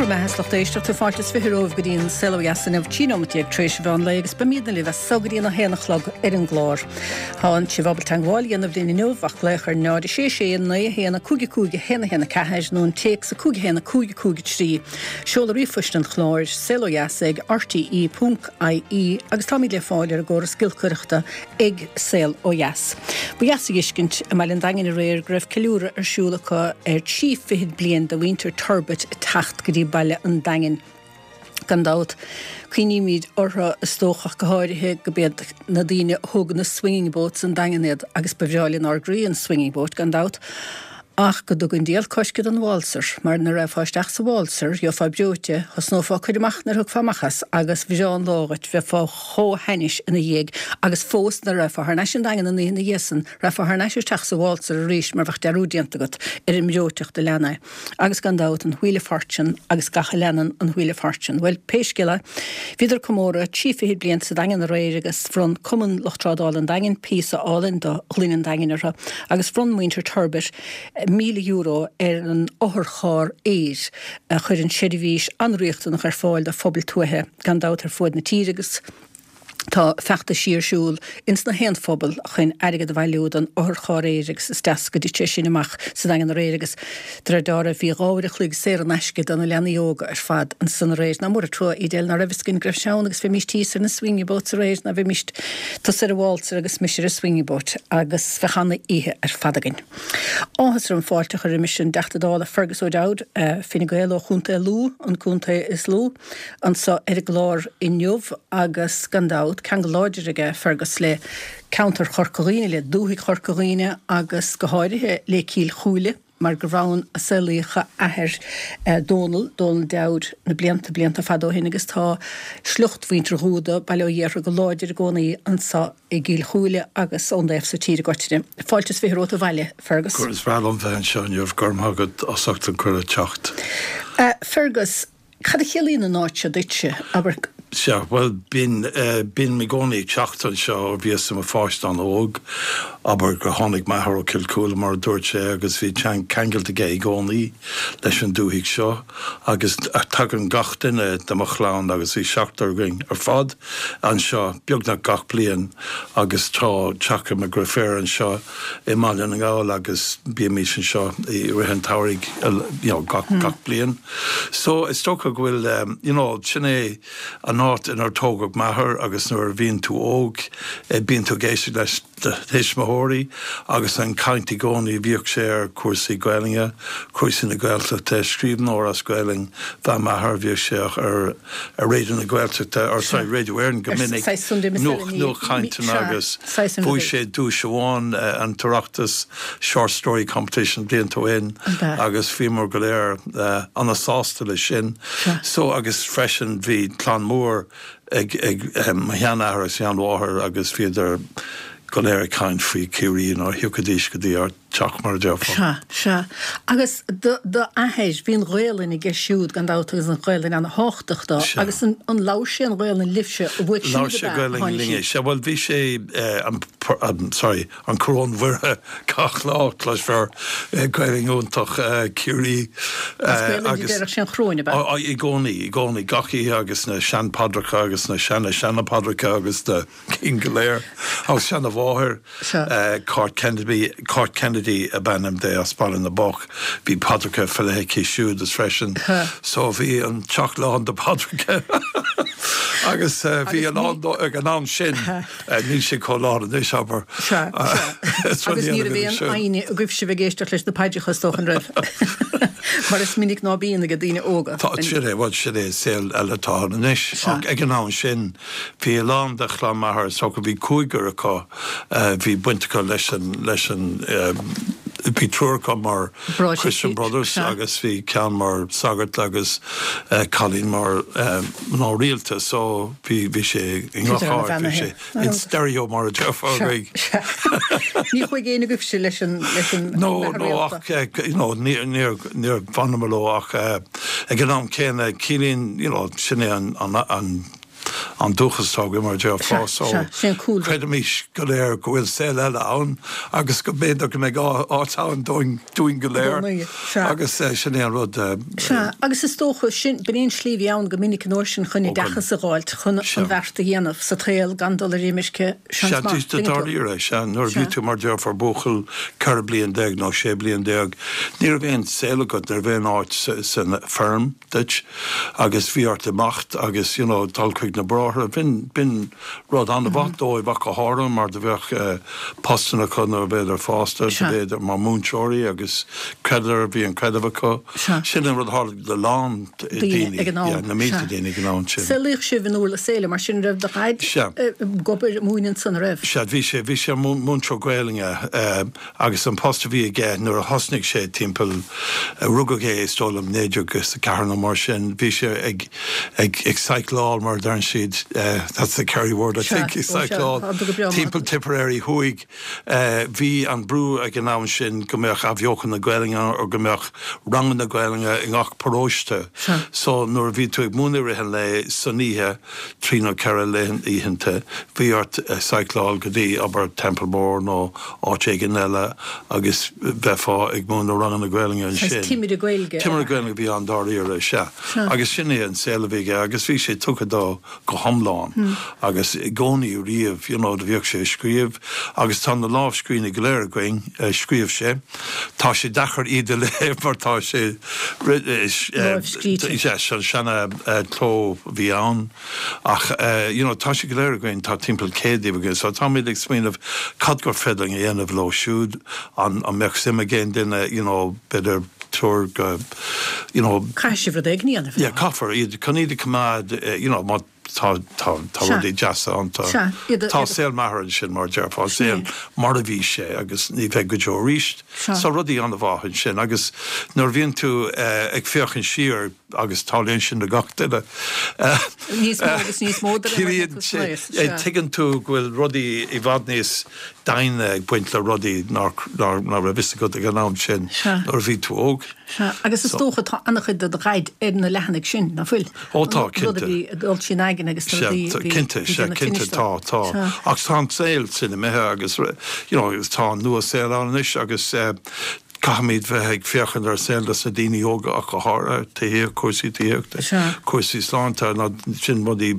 Bhur mbeatha is lucht éisteachta, fáilte is 20 romhaibh go dtí an Saol Ó Dheas inniu, 13 nóimeat tar éis an mheán lae agus beimidne libh as so go dtí an 1 a chlog ar an gclár. Tá sibh ábalta teagmháil a dhéanamh linn inniu ach glaoch ar 0 6 6 9 1 5 5 1 1 4 nó an téacs 5 1 5 5 3. Seoladh ríomhphoist an chláir, saolodheas ag rte ponc ie agus táimid le fáil ar an gcóras giolcaireachta ag Saol Ó Dheas. Ba dheas a dh'fheiscint i mBaile an Daingin aréir go raibh ceiliúradh ar siúl acu ar thrí fichid bliain de mhuintir Turbitt ag teacht go dtí Baile an Daingin. Gan dabht, cuimhnímid orthu is dócha ach go háirithe go b'iad na daoine a thóg na swinging boats an Daingean iad agus ba bhreá lenár gcroí an swinging boat gan dabht. Ach go dtuga an diabhal coisce don waltzer, mar nuair a raghfá isteach sa waltzer, gheofá breoite, thosnófá ag cur amach nuair a thiocfá amach as, agus bhreá an lá dhuit, bheifeá chomh hainnis ina dhiaidh, agus fós nuair a raghfá thar n-ais an Daingean an oíche ina dhiaidh san, raghfá thar n-ais isteach sa waltzer arís mar bheadh dearúd déanta agat ar an mbreoiteacht a lean é. Agus gan dabht, an Wheel of Fortune agus gach a leanann an Wheel of Fortune. Bhuel, pé scéal é, bhíodar ag comóradh trí fichid bliain sa Daingean aréir agus bhronn Cumann Lucht Trádála an Daingin píosa álainn de ghloine an Daingin orthu agus bhronn muintir Turbitt €1,000 ar an otharcharr aeir a chuireann seirbhís an-riachtanach ar fáil do phobail tuaithe gan dabht ar fuaid na tíre agus Tá feachtaisí ar siúl ins na haon phobal chun airgead a bhailiú don otharcharr aeir agus is deas go dtit sé sin amach sa Daingean aréir agus de réir dealraimh bhí 2 uair a chloig saor in aisce do na leanaí óga ar fad ansan aréir. Nach mór an trua Edel ná raibh fhios againn go raibh sé ann agus bheimíst thíos ar na swinging boats aréir ná bheimíst tusa ar an waltzer agus mise ar an swinging boat agus bheadh ana-oíche ar fad againn. Áthas orm fáilte a chur roimis an dTeachta Dála Fergus O'Dowd, Fine Gael ó Chontae Lú, an contae is lú. anso ar an gclár inniu agus gan dabht, ceangal láidir aige Fergus le ceantar Chorca Dhuibhne, le dúthaigh Chorca Dhuibhne agus go háirithe le Cill Chúile mar gurbh ann a saolaíodh a athair Dónal, Dónal Dowd, na blianta, blianta fada ó shin agus tá sliocht mhuintir Dhúda, Baile Ó Ghéartha go láidir i gcónaí anso i gCill Chúile agus ón dtaobh so tíre i gcoitinne. Fáilte is 20 romhat abhaile, Fergus. Is breá liom bheith anseo inniu, go raibh maith agat as ucht an cuireadh teacht. Fergus, Cad a chiallaíonn an áit seo duitse, abair? Sea, bhuel, bíonn, bím i gcónaí ag teacht anseo ó bhíos i mo pháiste an-óg. Abair gur tháinig m'athair ó Cill Chúile, mar a dúirt sé, agus bhí ceangailt aige i gcónaí leis an dúthaigh seo. Agus tagann gach duine de mo chlann, agus bhí seachtar againn ar fad, anseo beagnach gach bliain agus tá teach ag mo dheirfiúr anseo i mBaile na nGall agus bímís anseo i rith an tsamhraidh you know gach gach bliain. So is dócha go bhfuil you know sin é an áit inar tógadh m'athair agus nuair a bhíonn tú óg bíonn tú ag éisteacht leis do thuismitheoirí agus an chaint i gcónaí bhíodh sé ar chúrsaí Gaelainne, cúrsaí na Gaeltachta, scríbhneoir as Gaelainn ab ea m'athair, bhíodh sé ar ar Raidió na Gaeltachta, or sorry, Radio Éireann go minic, nuachtchainteanna agus bhuaigh sé duais amháin an tOireachtas Short Story Competition blianta ó shin agus bhíomar go léir ana-sásta leis sin. So agus freisin bhí clann mór ag mo sheanathair agus sheanmháthair agus bhíodar go léir ag caint faoi Ciarraí nuair a thiocfaidís go dtí ár teach mar a déarfá. Sea, sea. Agus do, do athair, bhí an Ghaelainn aige siúd gan dabht agus an Ghaelainn ana-thábhachtach dó. Sea. Agus an, an labhair sé an Ghaelainn libhse, uaidh siúd Labhair ab sé ea a Gaelainn tháinig linne. sí? Sea, bhuel bhí sé an, an, sorry, an Coróin Mhuire gach lá, cloisfear Gaelainn iontach Ciarraí As Gaelainn a agus, déarfadh sé an Choróin ab ea? á, i gcónaí, i gcónaí, gach oíche agus na sean-phaidreacha agus na seana-seana-phaidreacha agus na. cinn go léir. Agus seana-mháthair, Cáit Kennedy, Cáit Kennedy ab ainm di as Baile na mBocht, bhí paidreacha faoi leith aici siúd is freisin. So bhí an teach lán de paidreacha agus bhí a lán ag an am sin, níl sé chomh lán anois, abair. Sea, sea. Agus ní raibh aon fhoighne agaibhse bheith ag éisteacht leis na paidreacha is dócha, an raibh? Mar is minic ná bíonn ag daoine óga. Tá, sin é, bhuel sin é an saol eile atá ann anois. Ach ag an am sin, Bhí a lán de chlann m'athar, is dócha, bhí cúigear acu, bhí baint acu leis an, leis an, bhí triúr acu mar Christian Brothers agus bhí ceann mar sagart agus cailín mar mná rialta so bhí, bhí sé i ngach áit, bhí sé in stereo mar a déarfá againn. Ní chuaigh éinne agaibhse leis an, leis an No, no ach, you know, níor, níor, níor bhaineamar leo ach ag an am céanna ciallaíonn, you know, sin é an, an, an. an dúchas atá againn mar a déarfá so creidimis go léir go bhfuil saol eile ann agus go mb'fhéidir go mbeidh áit ann dúinn dúinn go léir agus sin é an rud. Sea, agus is dócha, sin, b'in é an slí a bhí ann go minic an uair sin chun oideachas a dh'fháilt, chun an bheart a dhéanamh sa tsaol gan dul ar imirce, seans maith, tuigeann tú. Dáiríre, sea, nuair a bhí tú mar déarfá buachaill 14 bliain nó 16 bliain, ní raibh aon saol agat, ní raibh aon áit san feirm duit agus bhí ort imeacht agus you know dul chuig na bráithre. B'in, b'in rud an-mhaith dóibh ach go háirithe mar do bheadh postanna acu nuair a bheadar fásta, do bheadar mar múinteoirí agus chreideadar, bhí an creideamh acu. Sin an rud a tharla do lán daoine ag an am, na mílte daoine ag an am sin. Saolaíodh sibh in Urlas Éile, mar sin raibh do dhaid ag obair ag múineadh ansan, an raibh? Sea, bhí sé, bhí sé mar mhúinteoir Gaelainne agus an post a bhí aige nuair a thosnaigh sé timpeall, rugadh é is dóigh liom 1904 nó mar sin, bhí sé ag, ag, ag cycleáil mar a deireann siad, that's the Kerry word I think, ag cycleáil timpeall Tipperary thuaidh. Bhí an brú ag an am sin go mbeadh athbheochan na Gaelainne ann or go mbeadh ranganna Gaelainne i ngach paróiste. So nuair a bhí tú ag múineadh i rith an lae, san oíche, trí nó ceithre oícheanta, bhí ort cycleáil go dtí, abair, Templemore nó áit éigin eile agus bheifeá ag múineadh ranganna Gaelainne ansin. Saghas timire Gaeilge. Timire Gaelainne a bhí ann dáiríre, sea. Agus sin é an saol a bhí aige agus bhí sé tugtha dó go hiomlán agus i gcónaí riamh, you know, do bhíodh sé ag scríobh agus tá na lámhscríbhinní go léir againn a scríobh sé. Tá sé deacair iad a léamh mar tá sé Lámhscríte. Yes, an seana cló a bhí ann ach you know, tá sé go léir againn, tá timpeall 100 díobh againn so táimid ag smaoineamh cad gur féidir linn a dhéanamh leo siúd, an mbeadh suim ag aon duine, you know, b'fhéidir tabhair go, you know. Caithfidh sibh rud éigin a dhéanamh. Yeah, caithfear iad, chun iad a choimeád, you know, má tá, tá, tá rudaí deasa ann, tá, tá saol m'athar ansin mar a déarfá, saol mar a bhí sé agus ní bheidh go deo arís. So rudaí an-mhaith ansin agus nuair a bhíonn tú ag féachaint siar agus tarlaíonn sin do gach duine, Níos mó agus níos mó de réir mar atá tú san aois, sea. Tuigeann tú go bhfuil rudaí i bhfad níos doimhne ag baint le rudaí nach raibh fhios agat ag an am sin nuair a bhí tú óg. Sea, agus is dócha tá an-chuid de do dhaid ar na leathanaigh sin, nach bhfuil? Ó tá, cinnte. An rud a bhí ag dul trína aigne agus na rudaí a bhí Cinnte, sea, cinnte, tá, tá. Ach tá an saol sin imithe agus, you know, tá an nua-saol ann anois agus Caithfimid bheith ag féachaint ar saol dos na daoine óga ach go háirithe, tithíocht, cúrsaí tithíochta, cúrsaí sláinte, ná sin rudaí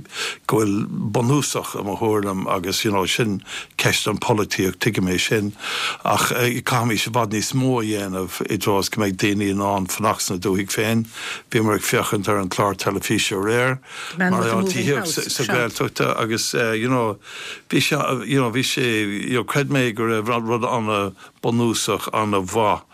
go bhfuil bunúsach i mo thuairim agus you know sin ceist an pholaitíocht, tuigim é sin ach caithfimid i bhfad níos mó a dhéanamh i dtreo is go mbeidh daoine in ann fanacht sna dúthaigh féin. Bhíomar ag féachaint ar an chlár teilifíse aréir mar gheall tithíocht sa Ghaeltacht agus you know bhí sé you know bhí sé you know chreid mé go raibh rud ana bunúsach ana-mhaith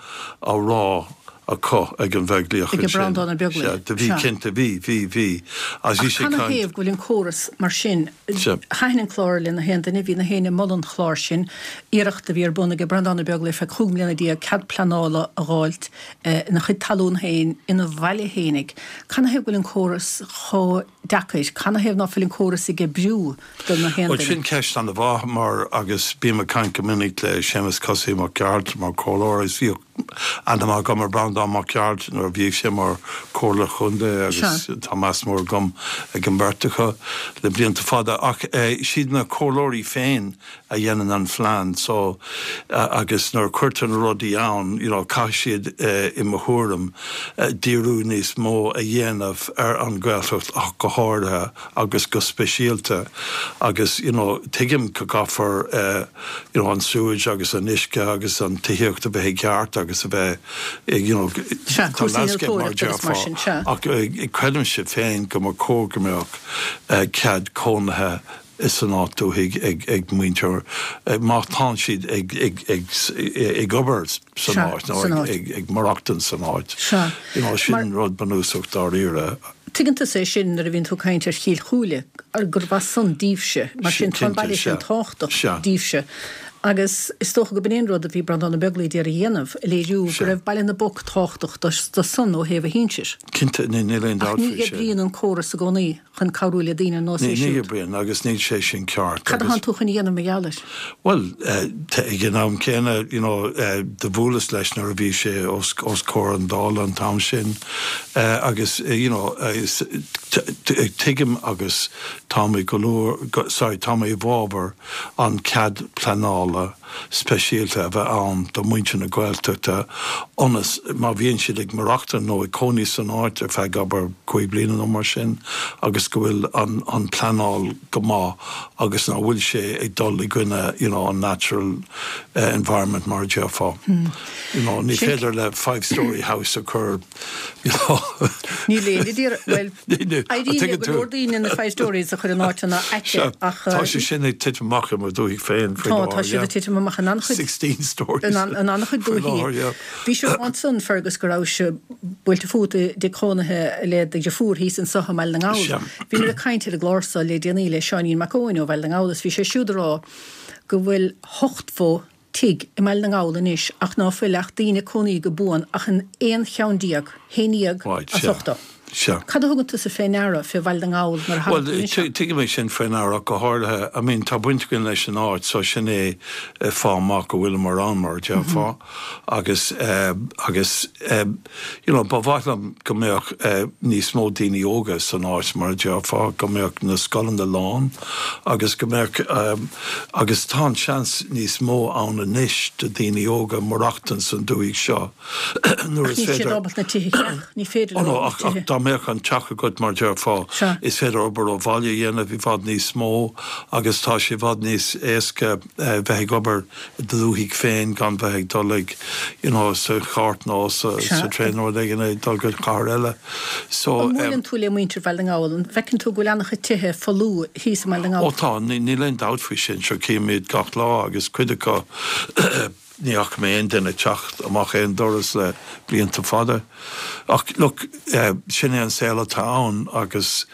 á rá acu ag an Bheaglaoich ansin. Ag Breandán Ó Beaglaoich. Sea, do bhí, cinnte, bhí, bhí, bhí. Agus bhí sé ag caint. Ach canathaobh go bhfuil an córas mar sin? Sea. Thaitin an clár le na haon duine, bhí na héinne ag moladh an chláir sin, iarracht a bhí ar bun ag Breandán Ó Beaglaoich ar feadh 15 mbliana cead pleanála a dh'fháilt ina chuid talún féin, ina bhaile fhéinig. Canathaobh go bhfuil an córas chomh deacair? Canathaobh ná fuil an córas ag oibriú? do na haon duine. Bhuel, sin ceist ana-mhaith mar, agus bím ag caint go minic le Séamus Cosaí Mac Gearailt mar chomhairleoir agus bhíodh aithne maith agam ar Breandán Mac Gearailt nuair a bhíodh sé mar chomhairleoir chontae agus tá meas mór agam ag an mbeirt acu le blianta fada. Ach siad na comhairleoirí féin a dhéanann an phlean so agus nuair a cuirtear na rudaí ann, you know, caithfidh siad i mo thuairim díriú níos mó a dhéanamh ar an Ghaeltacht ach go háirithe. agus go speisialta agus you know tuigim go gcaithfear eh you know an sewage agus an uisce agus an tithíocht a bheith i gceart agus a bheith you know Sea, tá cúrsaí landscape mar a innealtóireachta agus mar déarfá sin, sea. ach eh creidimse féin go mba chóir go mbeadh eh cead cónaithe san áit dúthaigh ag ag muintir eh má tánn siad ag ag ag ag obair san Sea, áit nó san ag áit. ag ag maireachtaint san áit. Sea. You know Mar. sin rud bunúsach dáiríre. Tuigeann tusa é sin nuair a bhíonn tú ag caint ar Chill Chúile, gurbh as san daoibhse, mar sin tá an baile sin tábhachtach daoibhse. Agus is dócha go b'in é an rud a bhí Breandán Ó Beaglaoich d'iarraidh a dhéanamh, a léiriú go raibh Baile na bPoc tábhachtach dó san ó thaobh a shinsir. Cinnte, níl aon Ach dabht ní faoi sin. oibríonn an córas i gcónaí chun cabhrú le daoine ar nós é Ní siúd. oibríonn agus níl sé sin ceart Cad agus. atánn tú chun a dhéanamh mar gheall air? Bhuel, ag an am céanna, you know, do bhuaileas leis nuair a bhí sé os os comhair an Dála an t-am sin agus, you know, tuigim agus tá mé go leor, sorry, tá mé i bhfabhar an cead pleanála speisialta a bheith ann do mhuintir na Gaeltachta ionas má bhíonn siad ag maireachtáil nó ag cónaí san áit ar feadh abair 5 bliana nó mar sin agus go bhfuil an an pleanáil go maith agus nach bhfuil sé ag dul i gcoinne you know an natural environment mar a déarfá. You know ní féidir le five storey house a chur you know. Níl aon idir, bhuel, éiríonn le go leor daoine na five storeys a chur in áiteanna aite ach. Tá sé sin ag titim amach i mo dhúthaigh féin faoi láthair. Tá, tá siad ag titim amach in an-chuid. 16 storeys. In an-chuid dúichí. Bhí sé ansan, Fergus, go raibh sibh buailte fút i dtigh chónaithe le do dheirfiúr thíos anso i mBaile na nGall. Bhíomar ag caint ar an gclár so le déanaí le Seáinín Mac Eoin ó Bhaile na nGall is bhí sé siúd ag rá go bhfuil 80 tigh i mBaile na nGall anois ach ná fuil ach daoine ag cónaí go buan ach in aon cheann déag, haon dhéag as 80. Sea. Cad a thugann tusa fé ndeara fé Bhaile na nGall nuair a thagann tú Bhuel, anseo? tuigim é sin fé ndeara ach go háirithe, I mean tá baint againn leis an áit so sin é fáth maith go bhfuileamar ann mar a déarfá agus agus you know ba mhaith liom go mbeadh níos mó daoine óga san áit mar a déarfá, go mbeadh na scoileanna lán agus go mbeadh agus tá an seans níos mó ann anois do daoine óga maireachtaint san dúthaigh seo. nuair is féidir. Ach níl siad ábalta na tithe a cheannach, ní féidir leo na tithe. Ach dá mbeadh an teach agat, mar déarfá, is féidir obair ó bhaile a dhéanamh i bhfad níos mó agus tá sé i bhfad níos éasca bheith ag obair i do dhúthaigh féin gan bheith ag dul ag, you know, sa chairt nó sa traein nó rud éigin ag dul go cathair eile. So. An mbuaileann tú le muintir Bhaile na nGall? An bhfeiceann tú go bhfuil an-chuid tithe folamh thíos i mBaile na nGall? Ó tá, níl aon dabht faoi sin. Sure cím iad gach lá agus cuid acu, Ní fhaca mé aon duine ag teacht amach aon doras le blianta fada. Ach look, sin é an saol atá ann agus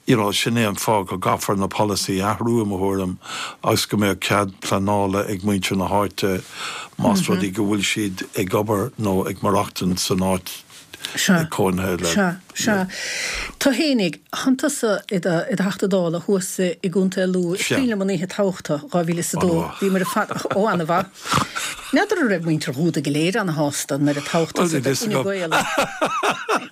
you know sin é an fáth go gcaithfear na polasaí a athrú i mo thuairim agus go mbeadh cead pleanála ag muintir na háite más rud é go bhfuil siad ag obair nó ag maireachtaint san áit Sea. Sea. Sea. Tú fhéinig, thánn tusa i do, i do Theachta Dála thuas i gContae Lú. Is cuimhin liom an oíche toghta, 2002. Bhíomar ar fad, ó, ana-mhaith. N'fheadar an raibh muintir Dhúda go léir ana-shásta nuair a toghadh tusa do Fhine Gael.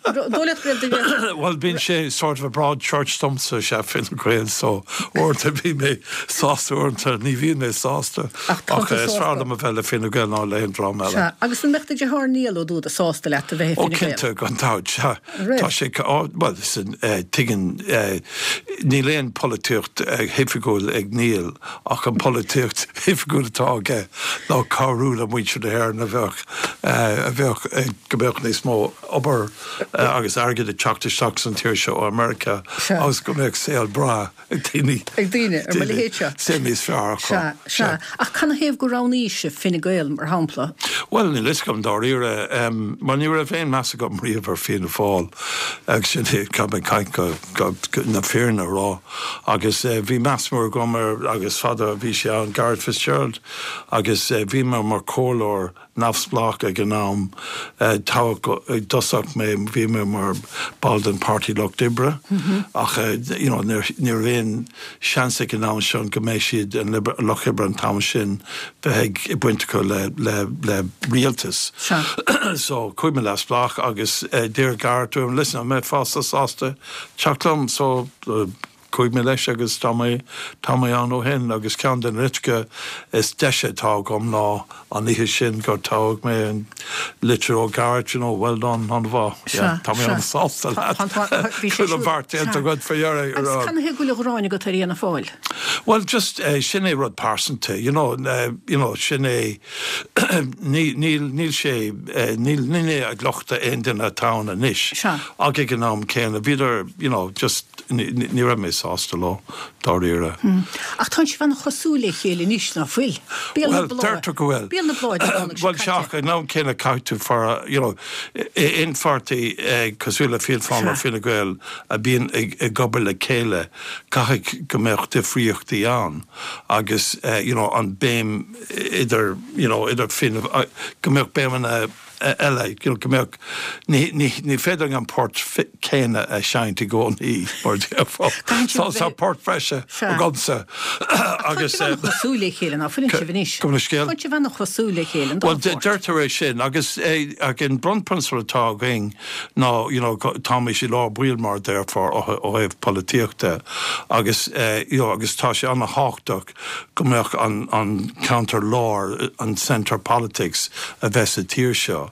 Dóigh leat go raibh duine. Bhuel, bíonn sé sort of a broad church domsa, sea, Fine Gael, so uaireanta bíonn mé sásta, uaireanta ní bhíonn mé sásta. Ach tá tú sásta. Is fearr liom a bheith le Fine Gael ná le haon dream eile. Sea. Agus an mbeadh do dheartháir Niall Ó Dúda sásta leat a bheith i Fine Gael? Ó cinnte, gan dabht, sea. Raibh? Tá sé, bhuel, tuigeann, níl aon polaitíocht oifigiúil ag Niall ach an polaitíocht oifigiúil atá aige ná cabhrú le muintir na hÉireann a bheadh, a bheadh, go mbeadh níos mó obair agus airgead ag teacht isteach san tír seo ó America agus go mbeadh saol breá ag daoine. Ag daoine, ar mo leithéid seo. Saol níos fearr acu. Sea, sea. Ach canathaobh gur roghnaís Fine Gael, mar shampla? Bhuel, níl fhios agam dáiríre. Mar ní raibh aon meas agam riamh ar Fianna Fáil. Agus sin é, caithfidh mé caint go, go, na fírinne a rá. Agus bhí meas mór agam ar, agus fada a bhí sé ann, Garret Fitzgerald. Agus bhí mé mar chomhairleoir neamhspleách ag an am. Toghadh i dtosach mé, bhí mé mar ball den Páirtí Lucht Oibre ach you know ní raibh aon seans ag an am sin go mbeidh siad, an Lucht Oibre an t-am sin, bheith ag baint acu le le le rialtas. So chuaigh mé neamhspleách agus d'iarr Garret orm, listen, an mbeifeá sásta teacht liom? So Chuaigh mé leis agus tá mé, tá mé ann ó shin agus ceann de na litreacha is deise atá agam ná an oíche sin gur toghadh mé, an litir ó Garret, you know, well done, an-mhaith, yeah, tá mé an-sásta leat, bhí sé siúd, bheart déanta agat faoi dheireadh. Agus canathaobh go bhfuil an ghráin agat ar Fhianna Fáil? Bhuel, just, sin é rud pearsanta, you know, you know, sin é, ní, níl, níl sé, níl, níl mé ag lochtú aon duine atá ann anois, ach ag an am céanna, bhíodar, you know, just, Ní raibh mé. sásta leo, dáiríre. Ach tánn sibh an-chosúil le chéile anois, ná fuil? Béal na Bhuel, Bláth. deirtear go bhfuil. Béal na Bláth Dé Domhnaigh seo Bhuel, sea, ach ag an am céanna caithfidh tú faire, you know, aon pháirtí cosúil le Fianna Fáil nó Fine Gael a bhíonn ag obair le chéile, caithfidh go mbeadh difríochtaí ann agus, you know, an béim idir, you know, idir Fianna, go mbeadh béimeanna eile, you know, go mbeadh, ní, ní, ní féidir an port céanna a sheinnt i gcónaí, mar a déarfá. Tá, tá port breise agamsa agus. Tá sibh an-chosúil le chéile, ná fuileann sibh anois? Gabh mo leithscéal. Tá sibh an-chosúil le chéile, an dá phort. Bhuel, deirtear é sin agus ach an bunphrionsabal atá againn ná, you know, táimid i lár baill mar a déarfá ó thaobh polaitíochta agus, you know, agus tá sé an-thábhachtach go mbeadh an ceantar láir, an centre politics, a bheith sa tír seo.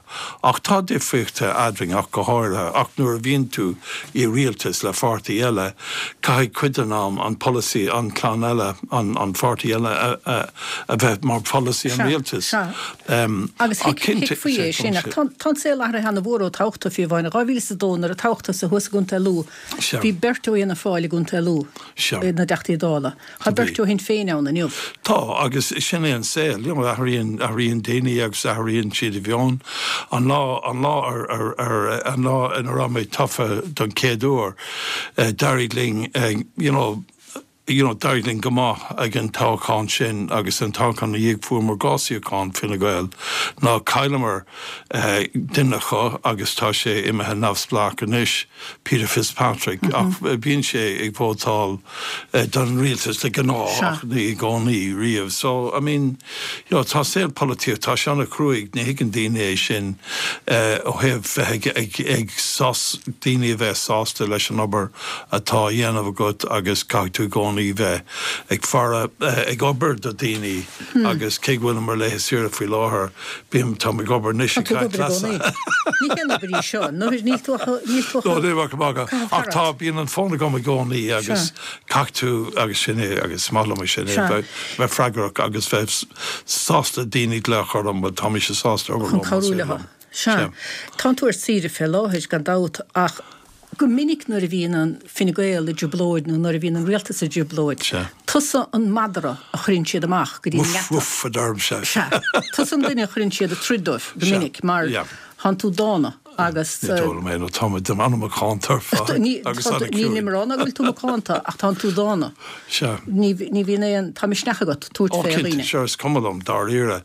Ach tá difríochtaí eadrainn ach go háirithe. Ach nuair a bhíonn tú i rialtas le pháirtí eile, caithfidh cuid den am an polasaí an clann eile, an pháirtí eile a bheith mar pholasaí an rialtais. Sea, sea. Agus thuigfí é sin. Ach tá an saol athraithe ana-mhór ó toghadh tú, fiú amháin. In 2002 nuair a toghadh tusa thuas i gContae Lú, bhí beirt ó Fhianna Fáil i gContae Lú ina dTeachtaí Dála. Tá beirt ó Shinn Féin ann inniu. Tá, agus sin é an saol, you know, athraíonn, athraíonn daoine agus athraíonn siad a mheon. An lá, an lá ar, ar, ar, an lá ina raibh mé tofa don chéad uair, d'éirigh linn, you know, you know, d'éirigh linn go maith ag an toghchán sin agus an toghchán ina dhiaidh fuaireamar 2 suíochán, Fine Gael, ná chailleamar duine acu agus tá sé imithe neamhspleách anois, Peter Fitzpatrick, ach bíonn sé ag vótáil don rialtas de ghnáth ach ní i gcónaí riamh. So, I mean, you know, tá saol polaitíocht, tá sé an-chruaidh, ní thuigeann daoine é sin ó thaobh bheith ag, ag, daoine a bheith sásta leis an obair atá á dhéanamh agat agus caithfidh tú i gcónaí bheith ag faire, ag obair do daoine agus cé go bhfuilim ar laetha saoire faoi láthair, Bím, táim ag obair anois ag caint leatsa. Ní haon obair í seo. Níl tú ach, níl tú ach. No, níl ach ag magadh. Ach tá, bíonn an fón agam i gcónaí agus caithfidh tú, agus sin é, agus is maith liom é sin, bheith, bheith freagrach agus bheith sásta daoine glaoch orm, bhuel tá mise sásta obair leo. Chun cabhrú leo. Sea. Tánn tú ar saoire fé láthair, gan dabht, ach Go minic nuair a bhíonn an Fine Gael i dtrioblóid nó nuair a bhíonn an rialtas i dtrioblóid, tusa an madra a chuireann siad amach go dtí an ngeata. Woof, woof, a deirimse. Sea. Tusa an duine a chuireann siad ag troid dóibh go minic mar tánn tú dána agus. Ní dóigh liom é nó tá mé an-mhacánta ar fad agus an-chiúin. Nílim ag rá ná go bhfuil tú macánta ach tánn tú dána. Sea. Ní bhíonn aon, tá misneach agat tabhairt fé dhaoine. Ó cinnte, sure, is cuma liom dáiríre.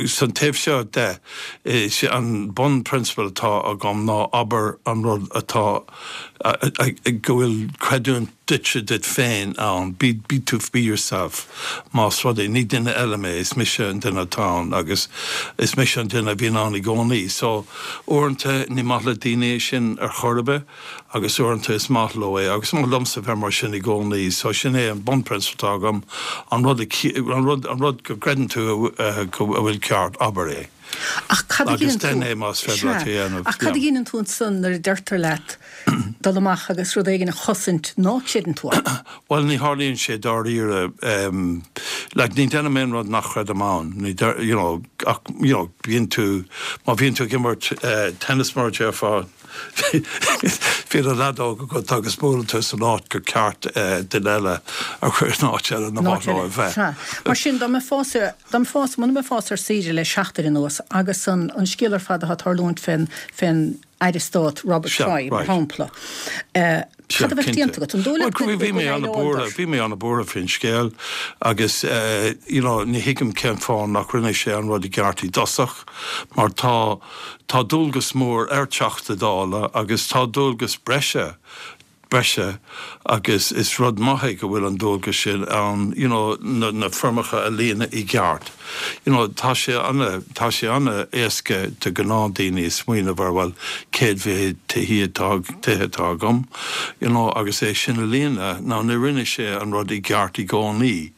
San taobh seo de, Is é an bunphrionsabal atá agam ná abair an rud atá, go bhfuil creidiúint duitse duit féin ann, be be tú, be yourself. Más rud é, ní duine eile mé, is mise an duine atá ann agus is mise an duine a bhíonn ann i gcónaí. So, uaireanta ní maith le daoine é sin ar chor ar bith agus uaireanta is maith leo é agus is maith liomsa bheith mar sin i gcónaí. So, sin é an bunphrionsabal atá agam, an rud a, an rud, an rud go gcreideann tú go bhfuil ceart, abair é. Ach cad a Agus dheineann tú, déan é más féidir leat é a dhéanamh. Ach cad a dheineann tú ansan nuair a deirtear leat dul amach agus rud éigin a chosaint ná creideann tú ann? Bhuel, ní tharlaíonn sé dáiríre. Like, ní dhéanaim aon rud nach chreidim ann. Ní, you know, ach, you know, bíonn tú, má bhíonn tú ag imirt tennis mar a déarfá, Bíonn an leadóg agat agus buaileann tú san áit gur ceart duine eile a chur in áit eile nár mhaith leo a bheith. Sea. Mar sin, dá mbeifeása, dá mbeifeása, muna mbeifeása ar saoire le seachtain anuas agus an scéal ar fad atá ag tarlúint fén, fén Aire Stáit Robert Troy, mar shampla, cad a bheadh déanta agat? An dóigh leat go Bhí mé an-bhuartha, bhí mé an-bhuartha faoin scéal agus you know ní thuigim cén fáth nach rinne sé an rud i gceart i dtosach mar tá, Tá dualgas mór ar Teachta Dála agus tá dualgas breise, breise agus is rud maith é go bhfuil an dualgas sin ann you know na, na foirmeacha a líonadh i gceart. You know tá sé ana, tá sé ana-éasca do ghnáthdaoine smaoineamh ar bhuel céad mhéad tithí atá, tithe atá agam you know agus é sin a líonadh. Now ní rinne sé an rud i gceart i gcónaí.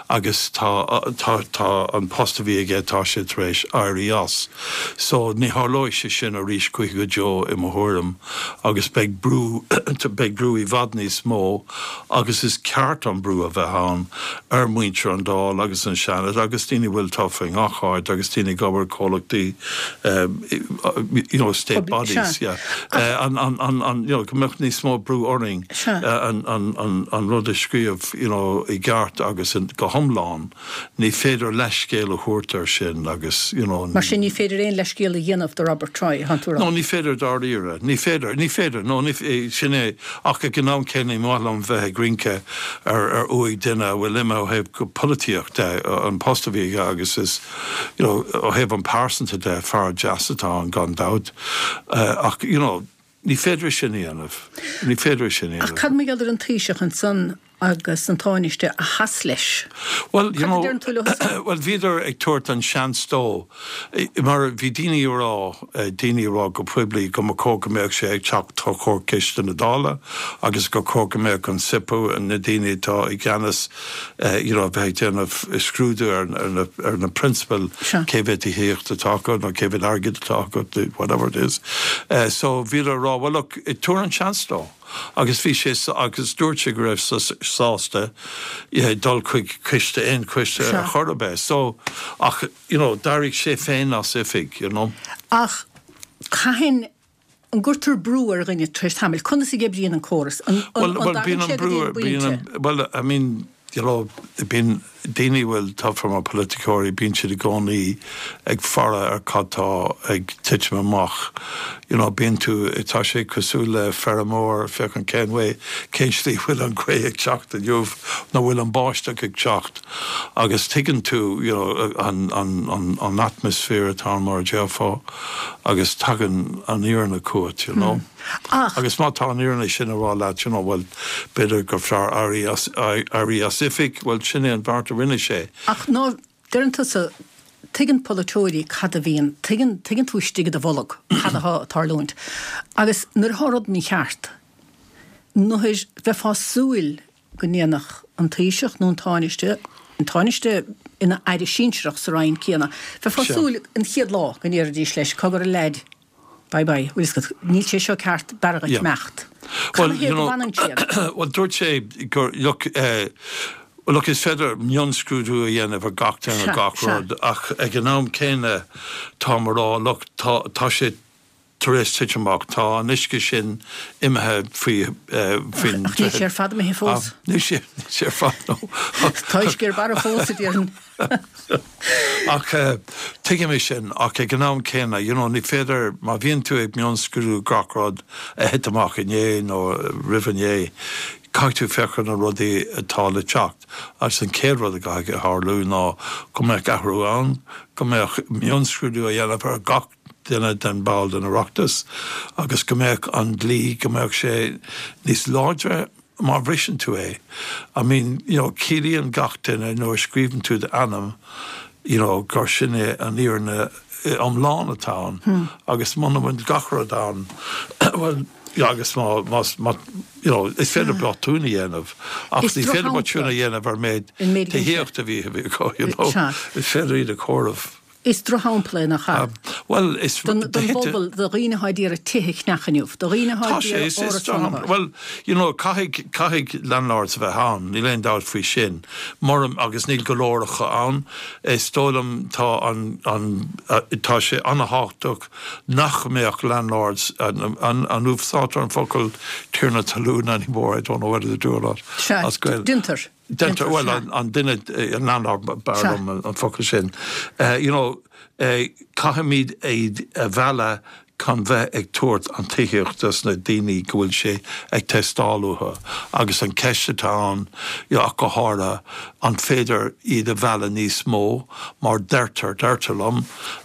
agus tá, tá, tá an post a bhí aige, tá sé tar éis éirí as. So ní tharlóidh sé sin arís choíche go deo i mo thuairim agus beidh brú, beidh brú. brú i bhfad níos mó agus is ceart an brú a bheith ann ar mhuintir an Dáil agus an Seanad agus daoine a bhfuil tofa i ngach áit agus daoine ag obair comhlachtaí you know state bodies yeah an an an an you know go mbeadh níos mó brú orainn an an an an rud a scríobh you know i gceart agus go hiomlán. Ní féidir leithscéal a thabhairt air sin agus, you know. Mar sin, ní féidir aon leithscéal a dhéanamh do Robert Troy, thánn tú a rá? No, ní féidir dáiríre. Ní féidir. Ní féidir. No, ní, sin é. Ach ag an am céanna, ní maith liom bheith ag rince ar, ar uaigh duine a bhfuil imithe ó thaobh polaitíocht de, an post a bhí aige agus is, you know, ó thaobh an pearsanta de, fear deas atá ann gan dabht. Ach, you know, Ní féidir é sin a dhéanamh. Ní féidir é sin a dhéanamh. Ach cad mar gheall ar an Taoiseach ansan agus an Tánaiste a sheas leis? Bhuel, you know, bhuel, bhíodar ag tabhairt an seans dó, mar bhí daoine ag rá, daoine ag rá go poiblí go mba chóir go mbeadh sé ag teacht os comhair Coiste na Dála agus gur chóir go mbeadh an SIPO, na daoine atá i gceannas, you know, bheith ag déanamh scrúdú ar na, ar na prionsabail, cé mhéad tithíocht atá acu nó cé mhéad airgid atá acu, whatever it is. So bhíodar ag rá, well look, tabhair an seans dó. Agus bhí sé, agus dúirt sé go raibh sé sásta dul chuig coiste, aon choiste ar chor ar bith. So, ach, you know, d'éirigh sé féin as oifig, you know. Ach cathain An gcuirtear brú ar dhuine tar éis tamaill? Conas a oibríonn an córas? An dtagann sé go dtí an bpointe? Bhuel, I mean, you know, bíonn daoine a bhfuil tofa mar polaiticeoirí, bíonn siad i gcónaí ag faire ar cad tá ag titim amach. You know, bíonn tú, tá sé cosúil le feirmeoir, féachaint cén way, cén slí a bhfuil an ghaoth ag teacht inniu nó bhfuil an báisteach ag teacht agus tuigeann tú, you know, an, an, an, an atmaisféar atá ann mar a déarfá. agus tagann an fhírinne chugat, you know. Ach. Agus má tá an fhírinne sin a rá leat, you know, bhuel, b'fhéidir gur fearr éirí as, éirí as oifig, bhuel, sin é an bheart a rinne sé. Ach ná, deireann tusa, tuigeann polaiteoirí cad a bhíonn, tuigeann, tuigeann tú istigh i do bholg cad atá ag tarlúint. Agus nuair atá rud mícheart, nuair, bheifeá ag súil go ndéanfadh an Taoiseach nó an Tánaiste, an Tánaiste ina aire sinsearach sa Roinn céanna, bheifeá ag súil an chéad lá go ndéarfaidís leis, cogar a leaid, bye bye, bhfuil fhios agat, níl sé seo ceart, b'fhearr dhuit imeacht. Cad ina thaobh go bhfanann siad? Bhuel, dúirt sé gur, look, look, is féidir mionscrúdú a dhéanamh ar gach duine, ar gach rud, ach ag an am céanna táim a rá, look, tá, tá sé, tar éis titim amach. Tá an uisce sin imithe faoi, faoin Ach níl sé ar fad imithe fós. Níl sé, níl sé ar fad, no. Tá uisce ar barra fós, a déarfainn. Ach tuigim é sin, ach ag an am céanna, you know, ní féidir, má bhíonn tú ag mionscrúdú gach rud a thit amach inné nó roimh inné, caithfidh tú féach ar na rudaí atá le teacht. Agus an chéad rud a gcaithfidh a tharlú ná go mbeadh athrú ann, go mbeadh mionscrúdú á dhéanamh ar gach duine den ball den Oireachtas agus go mbeadh an dlí, go mbeadh sé níos láidre má bhriseann tú é. I mean, you know, ciallaíonn gach duine nuair a scríobhann tú d'ainm, you know, gur sin é an fhírinne iomlán atá ann agus muna bhfuil gach rud ann, bhuel, agus má, má, má, you know, is féidir botún a dhéanamh ach ní féidir botún a dhéanamh ar méid tithíocht a bhí acu, you know, is féidir iad a chomhaireamh. Is drochshampla é, nach ea? Bhuel, is. Don bpobal, do dhaoine atá ag iarraidh tithe a cheannach inniu, do dhaoine atá ag iarraidh árasán a fháil. Bhuel, you know, caithfidh, caithfidh landlords a bheith ann, níl aon dabht faoi sin. Mura, agus níl go leor acu ann. Is dóigh liom tá an, an, tá sé an-thábhachtach nach mbeadh landlords, an, an, an úsáidtear an focal tiarna talún anymore, I don't know whether they do or not. Sea, déantar. Déantar, bhuel, an duine, an landlord, b'fhearr liom an focal sin. You know, caithfimid iad a mhealladh chun bheith ag tabhairt an tithíocht dos na daoine go bhfuil sé ag teastáil uathu agus an ceist atá ann, ach go háirithe, an féidir iad a mhealladh níos mó mar deirtear, deirtear liom,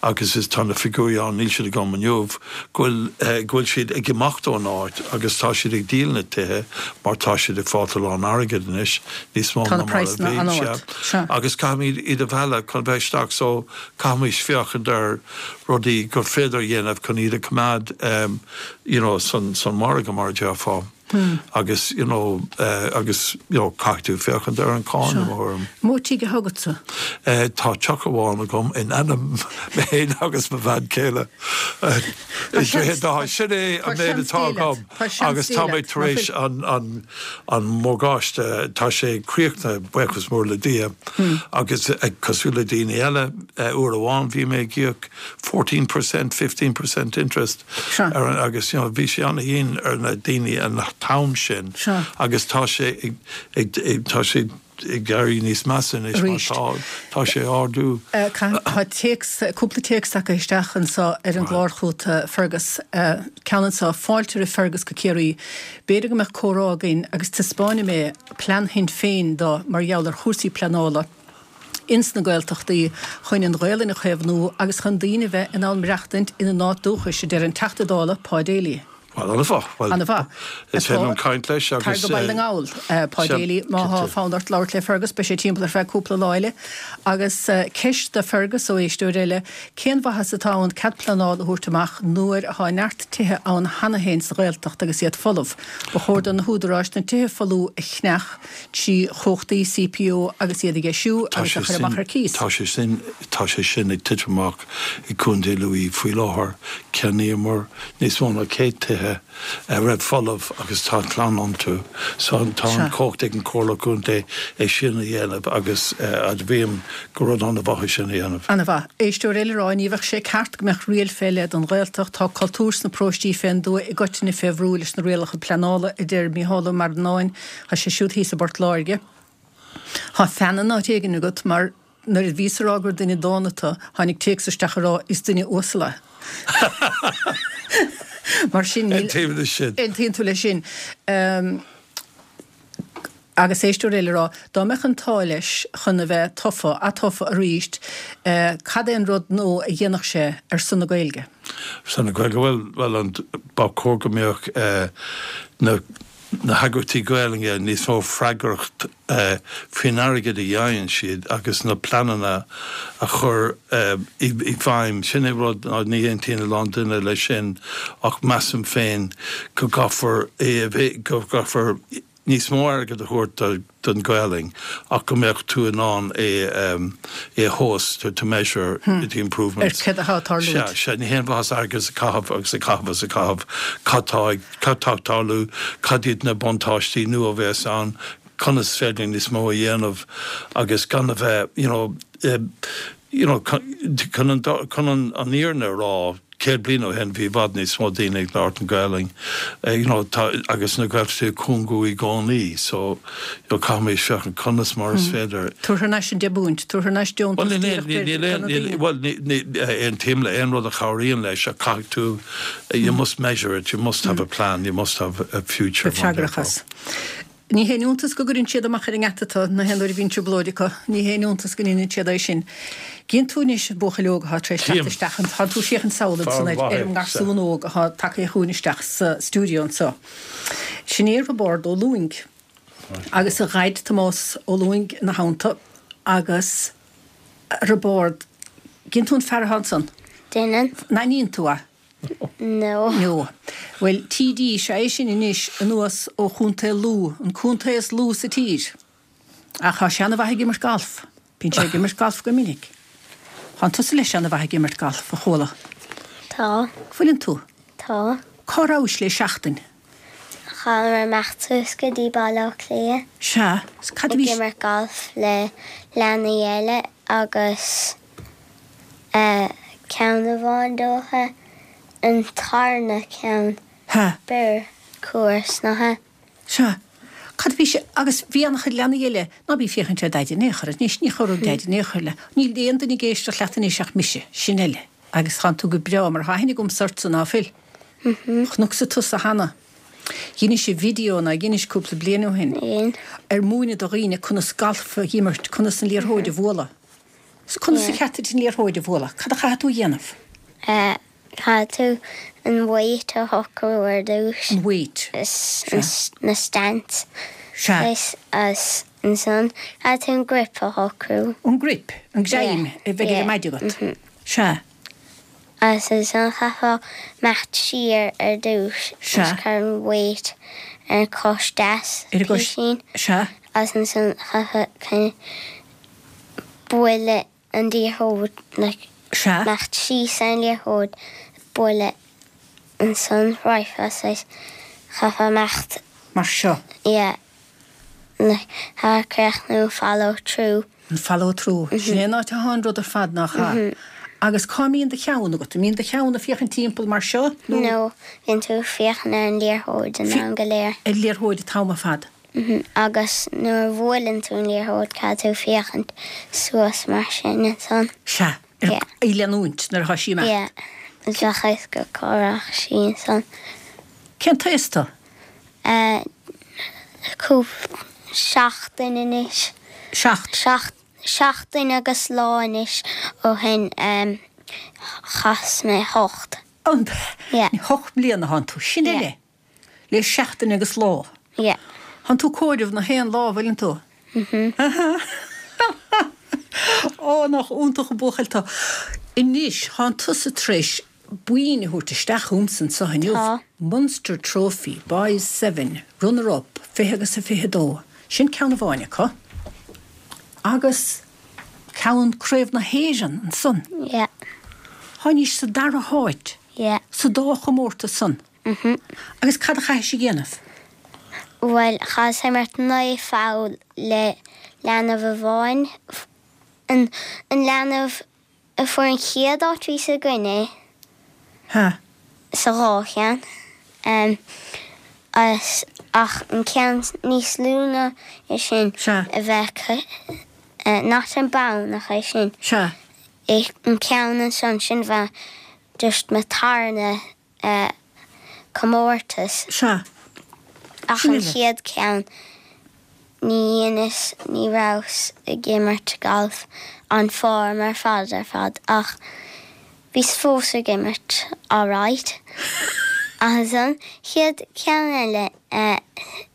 agus is tá na figiúirí ann, níl siad agam inniu, go bhfuil, go bhfuil siad ag imeacht ón áit agus tá siad ag díol na tithe mar tá siad ag fáilt a lán airgid anois, níos mó ná mar a bhí, sea. Agus caithfimid iad a mhealladh chun bheith isteach so caithfimid féachaint ar rudaí gur féidir a dhéanamh chun iad a choimeád you know san, san margadh mar a déarfá. Agus, you know, agus, you know, caithfidh tú féachaint ar an cáin, i mo thuairim. Mó tigh atá agatsa? Tá teach amháin agam in ainm mé féin agus mo bhean chéile. I Droichead Átha. Sin é an méid atá agam agus tá mé tar éis an, an, an morgáiste, tá sé críochnaithe, buíochas mór le Dia, agus cosúil le daoine eile, uair amháin bhí mé ag íoc 14%, 15% interest ar an, agus you know bhí sé an-dhian ar na daoine an t-am sin agus tá sé ag, tá sé ag éirí níos measa anois mar tá, tá sé ag ardú. Tá téacs, cúpla téacs tagtha isteach anseo ar an gclár chugat, Fergus. Ceann anseo, Fáilte roimh Fergus go Ciarraí. B'fhéidir go mbeadh comhrá againn agus taispeánfaidh mé plean Shinn Féin dó mar gheall ar chúrsaí pleanála. ins na Gaeltachtaí chun an Ghaelainn a chaomhnú agus chun daoine bheith in ann maireachtaint ina n-áit dúchais, a deir an Teachta Dála Pa Daly. Bhuel, an-mhaith. Bhuel, An-mhaith. is féidir liom caint leis agus. Tar go Baile na nGall, Pa Daly, má thá fonn ort labhairt le Fergus, beidh sé timpeall ar feadh cúpla lá eile. Agus ceist do Fergus ó éisteoir eile, cén mhaitheas atá ann cead pleanála a thabhairt amach nuair athá neart tithe ann cheana féin sa Ghaeltacht agus iad folamh? Ba chóir do na húdaráis na tithe folmha a cheannach 3 chumhachtaí CPO agus iad a dheisiú agus a chur amach ar cíos. Tá sé sin, tá sé sin ag titim amach i gContae Lú faoi láthair. Cheannaíomar níos mó ná 100 tithe a raibh folamh agus tá clann iontu. So tá an chumhacht ag an Chomhairle Contae é sin a dhéanamh agus admhaím gur rud an-mhaith é sin a dhéanamh. An-mhaith. Éisteoir eile ag rá ní bheadh sé ceart go mbeadh riail fé leith don Ghaeltacht, tá cultúr sna paróistí fén dtuath i gcoitinne fé bhrú leis na rialacha pleanála, a deir Mícheál Ó Marannáin. Tá sé siúd thíos i bPort Láirge. Tá fean in áit éigin agat mar nuair a bhíos a rá gur duine dána tu, tháinig téacs isteach a rá is duine uasal é. Mar sin níl. Aontaím leis sin. Aontaíonn tú leis sin. Agus éisteoir eile a rá, dá mbeadh an t-ádh leis chun a bheith tofa, atofa arís, cad é an rud nó a dhéanfadh sé ar son na Gaeilge? Ar son na Gaeilge? Bhuel, bhuel, an, ba chóir go mbeadh na. na heagraíochtaí Gaelainne níos mó freagracht faoin airgead a fhaigheann siad agus na pleananna a chur i bhfeidhm. Sin é rud, ní aontaíonn a lán duine leis sin ach measaim féin go gcaithfear é a bheith, go gcaithfear níos mó airgead a thabhairt don Ghaelainn ach go mbeadh tú in ann é é a thomhas, to to measure the improvements. Ar céard atá ag tarlúint. Sea, sea, ní haon mhaitheas airgead a chaitheamh agus a chaitheamh agus a chaitheamh. Cad tá ag, cad tá ag tarlú, cad iad na buntáistí nua a bheas ann, conas is féidir níos mó a dhéanamh agus gan a bheith, you know, you know, chun an, chun an fhírinne a rá, 100 bliain ó shin bhí i bhfad níos mó daoine ag labhairt an Ghaelainn, you know, tá, agus na Gaeltachtaí ag cúngú i gcónaí, so, you know, caithfimid féachaint conas mar is féidir. Tabhair thar n-ais an deich bpúint, tabhair thar n-ais deontas Bhuel, níl, níl, níl aon, níl, bhuel, ní, ní, aontaím le aon rud a chabhraíonn leis ach caithfidh tú, you must measure it, you must have a plan, you must have a future. Beidh freagrach as. Ní haon iontas go gcuireann siad amach ar an ngeata tu na haon uair a bhíonn trioblóid acu. Ní haon iontas go ndeineann siad é sin. Gcíonn tú anois an buachaill óg athá tar éis teacht isteach an, tánn tú ag féachaint sall ansan ar, ar an ngarsún óg athá tagtha chugainn isteach sa stiúideo anso. Sin é Roibeárd Ó Lúing agus a dhaid Tomás Ó Lúing ina theannta agus Roibeárd, gcíonn tú an fear athá ansan? Deineann. N-aithníonn tú é? No. No. Bhuel, TD is ea é sin anois anuas ó Chontae Lú, an contae is lú sa tír. Ach tá sé ana-mhaith ag imirt galf. Bíonn sé ag imirt galf go minic. Tánn tusa leis ana-mhaith ag imirt galf, a chuala. Tá. Fuileann tú? Tá. Cá rabhais le seachtain? Chaitheamar imeacht suas go dtí Baile Átha Cliath. Sea. Cad a bhí. Ag imirt galf le leanaí eile agus. Ceann amháin dócha, an tarna ceann, b'fhearr course ná é. Sea. Cad a bhí sé, agus bhí an-chuid leanaí eile, ná bí ag féachaint ar Daid in aon chor anois, ní chorróidh Daid in aon chor le, níl aon duine ag éisteacht leat anois ach mise, sin eile. Agus tánn tú go breá mar tá aithne agamsa ortsa, ná fuil? Chonacsa tusa cheana. Dheinis video ná dheinis cúpla bliain ó shin ar múineadh do dhaoine conas galf a dh'imirt, conas an liathróid a bhualadh. Conas a cheart duit an liathróid a bhualadh? Cad a chaithfidh tú a dhéanamh? Caithfidh tú an weight a shocrú ar dtús. An weight. Sea. Na stance. Sea. Agus ansan caithfidh tú an grip a shocrú. An grip? An greim a bheidh ar an maide agat? Sea. Agus ansan chaithfeá imeacht siar ar dtús. Sea. Agus cur an weight. Ar an chois deas, Ar an gcois, písín. sea. Agus ansan chaithfeá kind of bualadh an liathróid, like, Sea. imeacht síos ar an liathróid, bualadh ansan, raghfá saghas, chaithfeá imeacht. Mar seo. Yeah. Like, chaithfeá críochnú follow through. An follow through. Sin é an áit atá an rud ar fad, nach ea? Agus cá mbíonn do cheann agat? An mbíonn do cheann ag féachaint timpeall mar seo nó? No, bíonn tú ag féachaint ar an liathróid an am go léir. Ar an liathróid an t-am ar fad. Agus nuair a bhuaileann tú an liathróid caithfidh tú féachaint suas mar sin ansan. Sea, ar í leanúint nuair atá sí ag imeacht. Yeah, bheadh a fhios agat cá rachaidh sí ansan. Cén t-aos tú? Cúpla seachtain anois. Seacht. Seachtain agus lá anois ó shin chas mé hocht. An Yeah. Hocht mbliana thánn tú. Sin Yeah. eile. Le seachtain agus lá. Yeah. Thánn tú ag comhaireamh na haon lá, bhfuileann tú? Mhm. Ó, nach iontach an buachaill tú. Anois, thánn tusa tar éis boinn a thabhairt isteach chugamsa anseo inniu. Tá. Munster Trophy, Boys Seven, Runner Up, 20 agus a 22. Sin ceann amháin acu. Agus ceann Craobh na hÉireann ansan. Yeah. Tháinís sa dara háit. Yeah. Sa dá chomórtas san. Mhm. Agus cad a chaithis a dhéanamh? Bhuel, chaitheas imirt 9 pholl le leanbh amháin. An leanbh a fuair an chéad áit bhí sa gcoinne Ha. sa dhá cheann. Agus ach an ceann níos lú ná é sin Sea. a bheith not an bonn ach é sin. Sea. An ceann ansan sin bheith just mo tarna comórtas. Sea. Ach Sin an uile. chéad ceann, ní dheineas, ní rabhas ag imirt galf an form ar fad ar fad ach bhíos fós ag imirt alright. Agus an chéad ceann eile,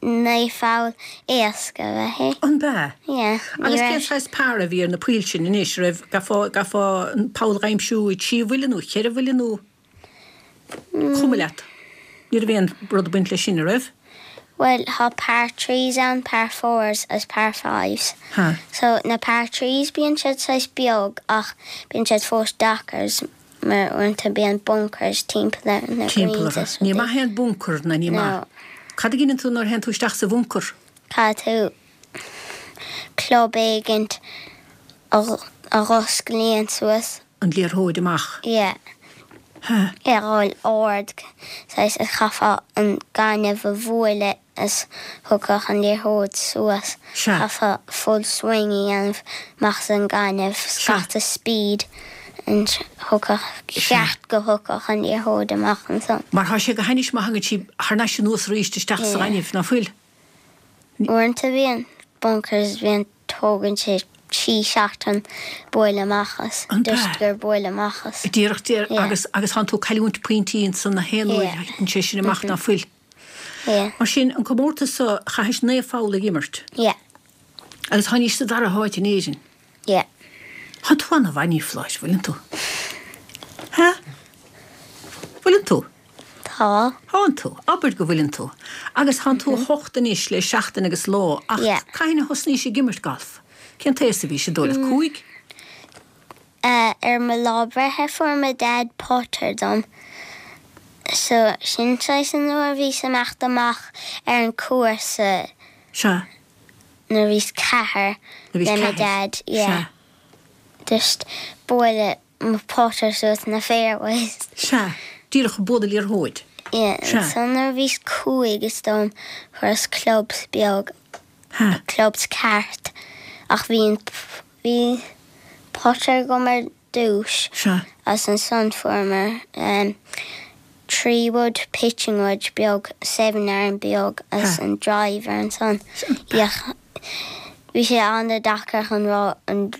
9 pholl éasca ab ea é. An b'ea? Yeah. Ní Agus cén raibh. saghas par a bhí ar na poill sin anois? Raibh, gcaithfeá, gcaithfeá an poll a aimsiú i dtrí bhuille nó cheithre bhuille nó? Cuma leat. Ní raibh aon rud ag baint leis sin, a raibh? Bhuel, tá par threes ann, par fours agus par fives. Ha. So, na par threes bíonn siad saghas beag ach bíonn siad fós deacair mar uaireanta bíonn bunkers timpeall ar na Timpeall greens orthu. is Ní rudaí. maith é an bunker, ná ní maith. No. Cad a dheineann tú nuair a théann tú isteach sa bhuncar? Caithfidh tú club éigint a dh'osclaíonn suas. an liathróid amach. Yeah. Ha. É a dhul ard, saghas is chaithfeá an gaineamh a bhualadh is thiocfadh an liathróid suas. Sea. Chaithfeá full swing a dhéanamh amach as an gaineamh, Sea. scata speed and thiocfadh, Sea. ceart go thiocfadh an liathróid amach ansan. Mar thá sé go hainnis má thagann sí thar n-ais anuas aríst isteach sa Yeah. ghaineamh, ná fuil? Uaireanta bíonn bunkers, bíonn Tógann sé trí seachtain bualadh amach as. An b'ea? Just gur bualadh amach as. Díreach, díreach, Yeah. agus, agus thánn tú ag cailliúint pointí ansan na haon uair Yeah. a thiteann sé sin amach ná fuil. Yeah. Mar sin, an comórtas so, chaithis 9 pholl ag imirt. Yeah. Agus tháinís sa dara háit in Éirinn. Yeah. Thánn tú ana-mhaith, a Fhláir, bhfuileann tú? Ha? Bhfuileann tú? Tá. Thánn tú. Abair go bhfuileann tú. Agus thánn tú 8 anois le seachtain agus lá, ach Yeah. cathain a thosnaís ag imirt galf? Cén t-aos a bhís, an dóigh leat? Cúig? Eh, ar mo lá breithe fuair mo dad putter dom. So, sin saghas an uair a bhíos ag imeacht amach ar an cúrsa Sea. nuair a bhíos ceathair Nuair a bhís le mo ceathair. dad, yeah. Sea. Just bualadh mo putter suas na fairways. Sea, díreach ag bualadh liathróid. Yeah, Sea. ansan nuair a bhíos cúig is dóigh liom fuaireas clubs beag, Ha. clubs ceart ach bhí an, bhí putter agam ar dtús Sea. agus ansan fuaireamar em 3 wood, pitching wedge beag, 7 iron beag agus Ha. an driver ansan. Yeah, bhí sé an-deacair chun rá an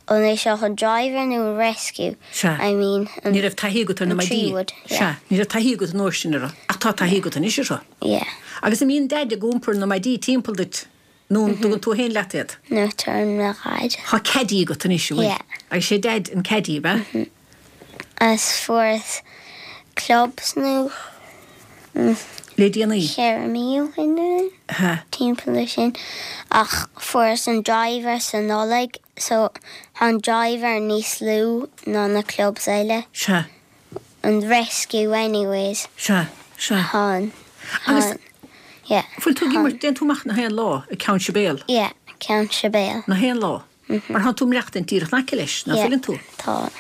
An é seo an driver nó an rescue? Sea. I mean an Ní raibh taithí agat ar na an maidí. 3 wood, yeah. Sea. Ní raibh taithí agat an uair sin orthu. Ach tá taithí agat anois orthu. Yeah. Agus an mbíonn Daid ag iompar na maidí timpeall duit nó an dtugann tú féin leat iad? No, tugann mo Dhaid. Tá caddy agat anois, an bhfuil? Yeah. Agus sé Daid an caddy, ab ea? Agus fuaireas clubs nó. Le déanaí. 4 mí ó shin nó timpeall ar sin ach fuaireas an driver sa Nollaig so tá an driver níos lú ná na clubs eile. Sea. An rescue anyways. Sea, sea. Tá an, Agus yeah. Fuil tú ag imirt, dtéann tú amach na haon lá ag Ceann Sibéal? Yeah, Ceann Sibéal. Na haon lá? Mar thánn tú ag maireachtaint díreach in aice leis, ná fuileann tú? Tá.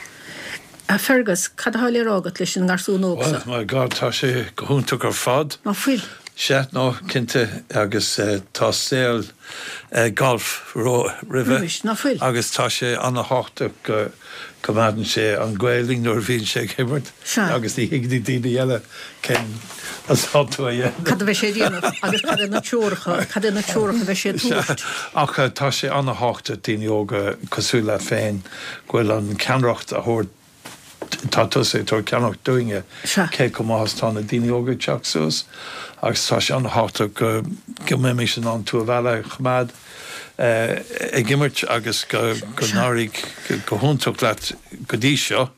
A Fergus, cad atá le rá agat leis an ngarsún óg seo? Well, my God, tá sé go hiontach ar fad. Ná fuil? Sea, no, cinnte, agus tá saol golf roimhe. Roimis, ná fuil? Agus tá sé ana-thábhachtach go coimeádann sé an Ghaelainn nuair a bhíonn sé ag imirt agus ní thuigeann daoine eile cén atá tú a dhéanamh. Cad a bheidh sé a dhéanamh agus cad é na treoracha, cad é na treoracha a bheidh sé a tabhairt. Ach tá sé ana-thábhachtach daoine óga cosúil leat féin go bhfuil an ceannaireacht a thabhairt, tá tusa ag tabhairt ceannaireacht dúinne cé chomh maith is tá na daoine óga ag teacht suas agus tá sé ana-thábhachtach go go mbeimis in ann tú a mhealladh a choimeád. ag imirt agus go n-éireoidh go hiontach leat go dtí seo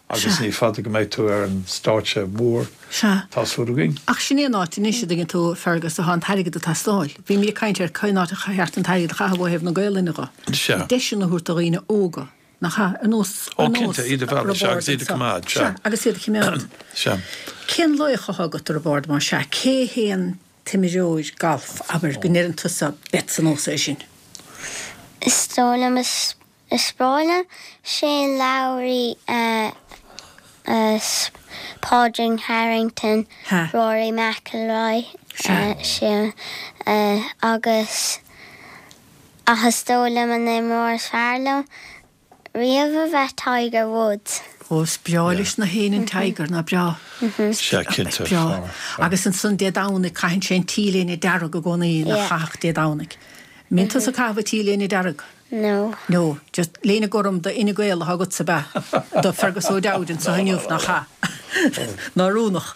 agus ní fada go mbeidh tú ar an stáitse mór, tá súil againn. Ach sin é an áit anois, a dtuigeann tú, Fergus, atá an t-airgead ag teastáil. Bhímid ag caint ar cén áit ar cheart an t-airgead a chaitheamh ó thaobh na Gaelainne dho. Deiseanna a thabhairt do dhaoine óga, nach ea? Ar nós, ar nós cinnte, iad a mhealladh, sea, agus iad a choimeád, sea. Agus iad a choimeád. Sea. Cén laoch atá agat, a Roibeárd, más ea? Cé hé an t-imreoir gailf, abair, go ndeireann tusa 'beidh sa nós é sin'? Is dóigh liom is is breá liom Shane Lowry Pádraig Harrington Rory McIlroy sin agus ach is dóigh liom an imreoir is fearr liom riamh a bheith Tiger Woods. Ó, is breá leis na héinne an Tiger, nach breá? Sea, cinnte. Breá. Agus ansan Dé Domhnaigh caitheann sé an T-léine dearg i gcónaí, nach chaithfeadh Dé Domhnaigh. Mbíonn tusa ag caitheamh an T-léine dearg? No. No. Just léine gorm do Fhine Gael atá agatsa, ab ea? Do Fergus O'Dowd anso inniu, nach ea? Ná oiriúnach.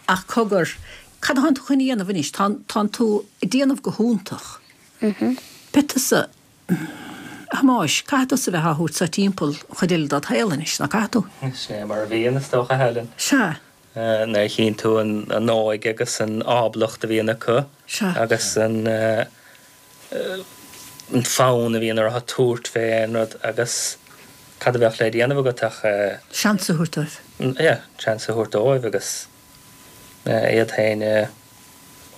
Ach cogar, cad atánn tú chun a dhéanamh anois? Tánn tú ag déanamh go hiontach. Beidh tusa. A Thomáis, caithfidh tusa a bheith á thabhairt so timpeall an chuid eile dod shaol anois, ná caithfidh tú? Sin é mar a bhíonn, is dócha, a Helen. Sea. Nuair a chíonn tú an óige agus an ábalacht a bhíonn acu Sea. agus an fonn a bhíonn orthu tabhairt fé aon rud agus cad a bheadh le déanamh agat ach. Seans a thabhairt dóibh. Yeah, seans a thabhairt dóibh agus. iad féin a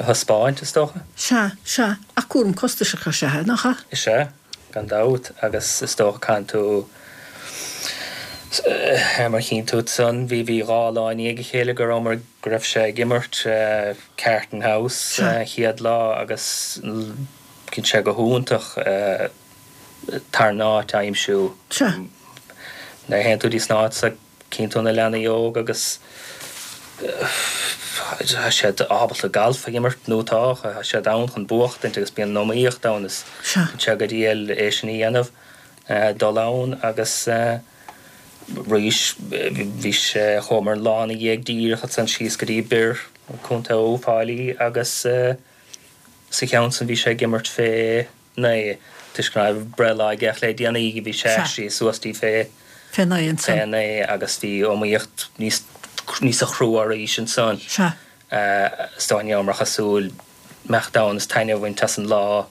thaispeáint, is dócha. Sea, sea, ach cúram costasach is ea é, nach ea? Is ea, gan dabht, agus is dócha caitheann tú, mar chíonn tú ansan, bhí, bhí 2 lá i ndiaidh a chéile go rabhamar, go raibh sé ag imirt Carton House an chéad lá agus bíonn sé go hiontach tarna áit a aimsiú. Sea. Nuair a théann tú dtí san áit so, Cíonn tú na leanaí óga agus tá siad ábalta galf a imirt nó tá, tá siad ann chun buachtaint agus bíonn an iomaíocht ann is bíonn sé go diail é sin a dhéanamh, dul ann agus arís bhí sé, chuamar an lá ina dhiaidh díreach ansan síos go dtí Birr, Contae Uíbh Fhailí agus sa cheann san bhí sé ag imirt fé 9, toisc go raibh breithlá aige ach le déanaí bhí sé aistrithe suas dtí fé Fé 9 ansan. Fé 9 agus bhí iomaíocht níos níosa chrua arís ansan. Sea. Is dóigh ní rabhamar cosúil imeacht ann is taitneamh a bhaint as an lá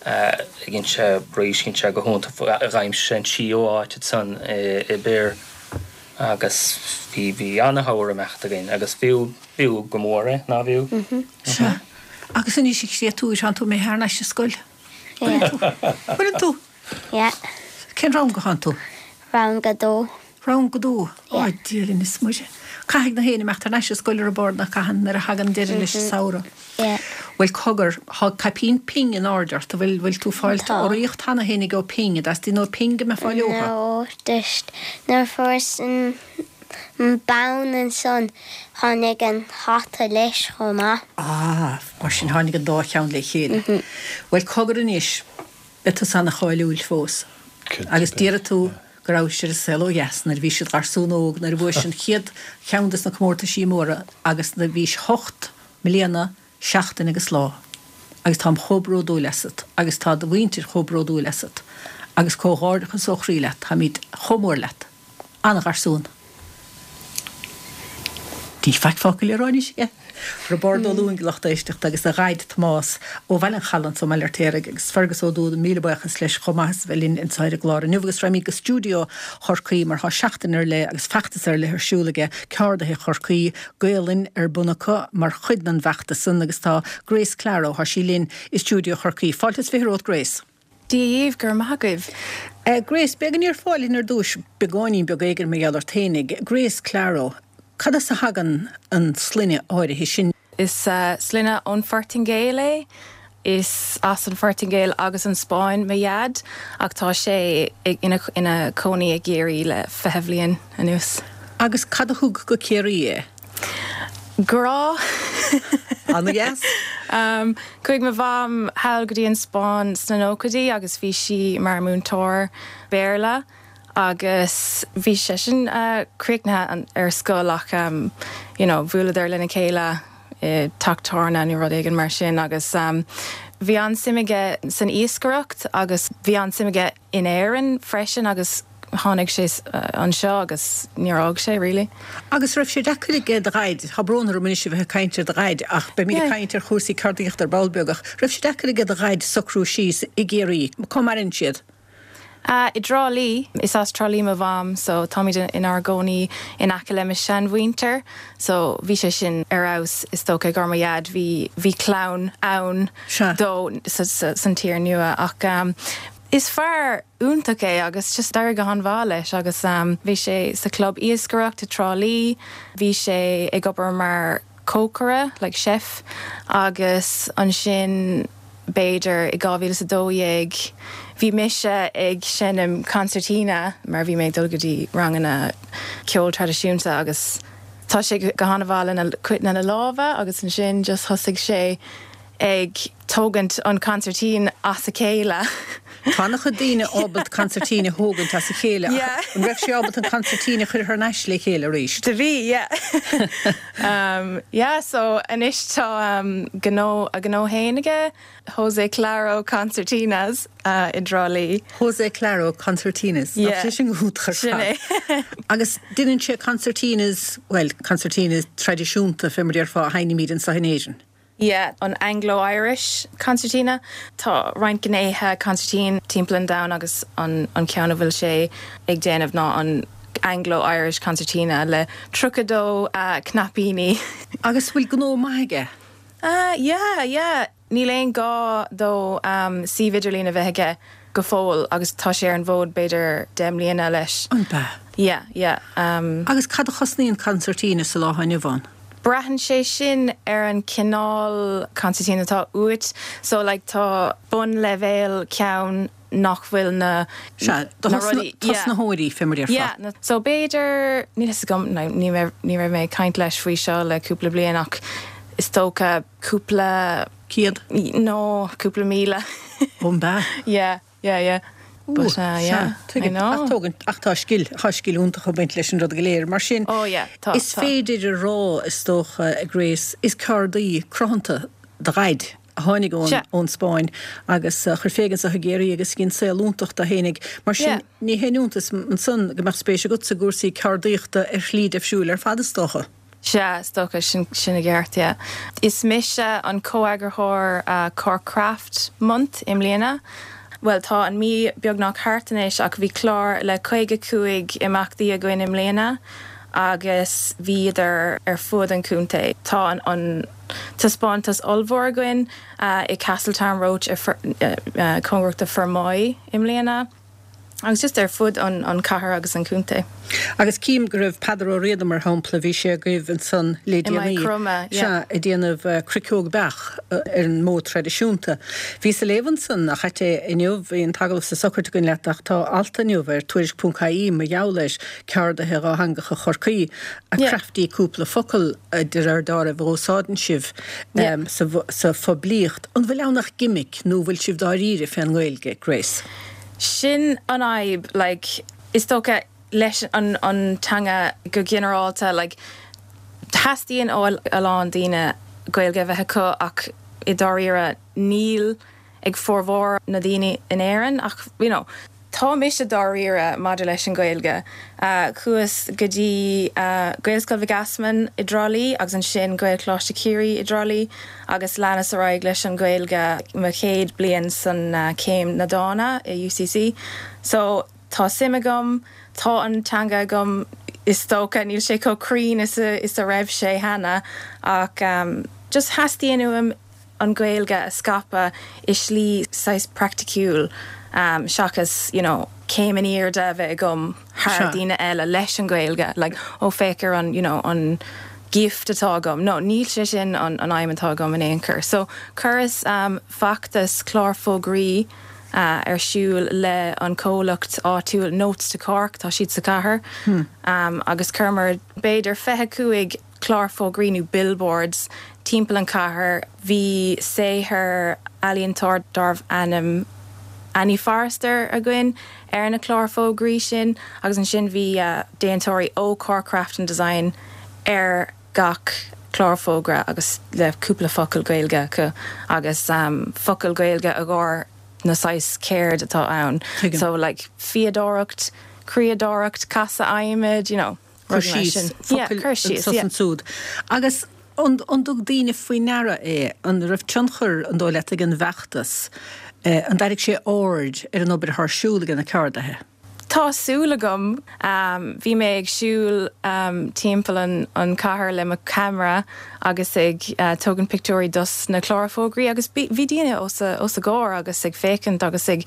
ag inse arís dhein sé go hiontach d'aimsigh sé an tríú áit ansan i Birr agus bhí bhí ana-shamhradh imeacht againn agus b'fhiú b'fhiú go mór é ná b'fhiú? Sea. Agus anois a chréatúir, tánn tú imithe thar n-ais ar scoil? Yeah. Bhfuileann tú? Yeah. Cén rang a thánn tú? Rang a dó. Rang a dó? Yeah. Ó, Dia linn is Muire. Caithfidh na héinne imeacht thar n-ais ar scoil ar an bord nach caitheann nuair a thagann deireadh leis an samhradh. Yeah. Bhuel cogar, thá caipín Ping in airde ort, bhfuil, bhfuil tú fáilt Tá. urraíocht cheana féin ag ó Ping, a dteastaíonn ó Ping go mbeifeá leotha? No, just nuair a fuaireas an An bonn ansan, tháinig an hata leis chomh maith. Ah, mar sin tháinig an dá cheann le chéile. Bhuel, cogar anois, beidh tusa ana-cháiliúil fós. Agus déarfaidh tú go rabhais ar an saol ó dheas nuair a bhís id gharsún óg, nuair a bhuais an chéad cheann des na comórtaisí móra agus nuair a bhís hocht mbliana, seachtain agus lá. Agus táim chomh bródúil asat agus tá do mhuintir chomh bródúil asat. Agus comhghairdeachas ó chroí leat, táimid chomh mór leat. An-gharsún. Níl faic fágtha le rá anois aige. Roibeárd Ó Lúing lucht éisteachta agus a dhaid Tomás ó Bhaile an Chalaidh anso i mBaile Fheirtéaraigh agus Fergus Ó Dúda míle buíochas leis chomh maith as a bheith linn anseo ar an gclár inniu agus raghaimid go stiúideo Chorcaí mar tá seachtain ar leith agus feachtas ar leith ar siúl aige Ceardaithe Chorcaí, Gaolainn ar bun acu mar chuid den bhfeachtas san agus tá Grace Claro, tá sí linn i stiúideo Chorcaí. Fáilte is 20 romhat Grace. Dia dhaoibh, go raibh maith agaibh. Grace, b'fhéidir go ndéarfá linn ar dtúis beagáinín beag éigin mar gheall ort fhéinig. Grace Claro, cad as a thagann an sloinne áirithe sin? Is sloinne ón Phortaingéil é. Is as an Phortaingéil agus an Spáinn mo dhaid ach tá sé ina chónaí i gCiarraí le 20 bhliain anuas. Agus cad a thug go Ciarraí é? Grá! Ana-dheas! Chuaigh mo mham thall go dtí an Spáinn sna nóchaidí agus bhí sí mar múinteoir Béarla agus bhí seisean críochnaithe ar scoil ach you know bhuaileadar lena chéile i dteach tábhairne nó rud éigin mar sin agus bhí an-suim aige san iascaireacht agus bhí an-suim aige in Éirinn freisin agus tháinig sé anseo agus níor fhág sé really. Agus raibh sé deacair aige do dhaid, tá brón orm anois a bheith ag caint ar do dhaid ach beimid ag caint ar chúrsaí ceardaíochta ar ball beag, ach raibh sé deacair aige do dhaid socrú síos i gCiarraí? Cá maireann siad? I dTrá Lí. Is as Trá Lí mo mham so táimid inár gcónaí in aice le mo sheanmhuintir so bhí sé sin ar fheabhas is dócha i gcomhair mo dhaid bhí bhí clann ann dó san tír nua ach is fear iontach é agus just d'éirigh go han-mhaith leis agus bhí sé sa chlub iascaireacht i dTrá Lí, bhí sé ag obair mar chócaire, like chef, agus ansin b'fhéidir i 2012 bhí mise ag seinm concertina mar bhí mé ag dul go dtí ranganna ceol traidisiúnta agus tá sé go han-mhaith lena lena lámha agus ansin just thosaigh sé ag tógaint an consairtín as a chéile. Tá an-chuid daoine ábalta consairtín a thógaint as a chéile ach an raibh sé ábalta an consairtín a chur thar n-ais le chéile arís? Do bhí, yeah. Yeah, so anois tá gnó, a ghnó fhéin aige, Jose Claro Concertinas i dTrá Lí. Jose Claro Concertinas, nach sé sin go hiontach ar fad. Sin é. Agus déanann sé concertinas, bhuel, concertinas traidisiúnta fé mar déarfá a sheinnimid anseo in Éirinn. Yeah, an Anglo-Irish concertina. Tá roinnt gnéithe consairtín timpeall an domhain agus an ceann a bhfuil sé ag déanamh ná an Anglo-Irish concertina le 32 cnaipíní. Agus bhfuil gnó maith aige? Ah, yeah, yeah. Níl aon gá dó suíomh idirlín a bheith aige go fóill agus tá sé ar an bhfód b'fhéidir 10 mbliana leis. An b'ea? Yeah, yeah. Agus cad a chosnaíonn concertina sa lá atá inniu ann? Braitheann sé sin ar an cineál consairtín atá uait. So like tá bunleibhéal ceann nach bhfuil na Sea, do na rudaí, yeah. tosnaitheoirí, fé mar a déarfá. Yeah, na, so b'fhéidir, níl fhios agam, ní raibh, ní raibh mé ag caint leis faoi seo le cúpla bliain ach is dócha cúpla. Céad? No, cúpla míle. Ó, an b'ea? Yeah. Yeah, yeah. But, uh, yeah, I know. Ach tógann, ach tá scil, tá scil iontach ag baint leis an rud go léir. Mar sin, oh, yeah, tá, is féidir a rá, is dócha, a Grace, is ceardaí cruthanta do dhaid a tháinig ón, ón Spáinn agus a chuir fé anso i gCiarraí agus dhein saol iontach dó fhéinig. Mar sin, ní haon iontas ansan go mbeadh spéis agatsa i gcúrsaí ceardaíochta ar shlí deifriúil ar fad, is dócha. Sea, is dócha, sin, sin i gceart, yeah. Is mise an comheagarthóir Cork Craft Month i mbliana. Bhuel, tá an mí beagnach thart anois ach bhí clár le 55 imeachtaí againn i mbliana agus bhíodar ar fud an chontae. Tá an, an taispeántas ollmhór againn i Castletownroche cóngarach do Fermoy i mbliana. agus just ar fud an chathair agus an chontae. Agus cím go raibh Peadar Ó Riada, mar shampla, bhí sé agaibh ansan le déanaí, sea, ag déanamh cruiceog beach ar an modh traidisiúnta. Bhíos ag léamh ansan, nach ait é, inniu, bhí an t-agallamh sa socraid againn leat ach tá alt inniu ar Tuairisc.ie mar gheall ar ceardaithe dhátheangacha Chorcaí, a crafty cúpla focal de réir dealraimh a úsáideann sibh sa phoiblíocht. An bhfuil ann ach gimic nó bhfuil sibh dáiríre fén nGaeilge, Grace? Sin an fhadhb, like, is dócha, leis an an teanga go ginearálta, like, teastaíonn ó a lán daoine Gaeilge a bheith acu ach i dáiríre níl ag formhór na daoine in Éirinn ach, you know. Tá mise dáiríre maidir leis an Ghaeilge. Chuas go dtí Gaelscoil Mhic Easmainn i dTrá Lí agus ansin Gaelcholáiste Chiarraí i dTrá Lí agus leanas ar aghaidh leis an Ghaeilge mo chéad bliain san céim na dána i UCC. So tá suim agam, tá an teanga agam is dócha, níl sé chomh cruinn is a raibh sé cheana ach just theastaíonn uaim an Ghaeilge a scaipeadh i slí saghas praiticiúil seachas you know céim in airde a bheith agam thar daoine eile leis an Ghaeilge like oh féach ar an you know an gift atá agam. No, níl sé sin an an aidhm atá agam in aon chor. So chuireas feachtas clár fógraí ar siúl le an comhlacht áitiúil Notes to Cork, tá siad sa chathair agus chuireamar b'fhéidir 25 clár fógraí nó billboards timpeall an chathair. Bhí saothar ealaíontóir darbh ainm Annie Forrester againn ar na cláir fógraí sin agus ansin bhí déantóirí ó Cork Craft and Design ar gach clár fógra agus le cúpla focal Gaeilge acu agus focal Gaeilge i gcomhair na saghas ceird atá ann. So like fíodóireacht, criadóireacht, casadh adhmaid, you know. Cur síos, focail anso is ansúd. Agus an dtug daoine faoi ndeara é? An raibh tionchar, an dóigh leat, ag an bhfeachtas? An dtarraing sé aird ar an obair atá ar siúl ag na ceardaithe? Tá súil agam. Bhí mé ag siúl timpeall an chathair le mo cheamara agus ag tógaint pictiúirí dos na cláir fógraí agus bhí daoine os a gcomhair agus ag féachaint agus ag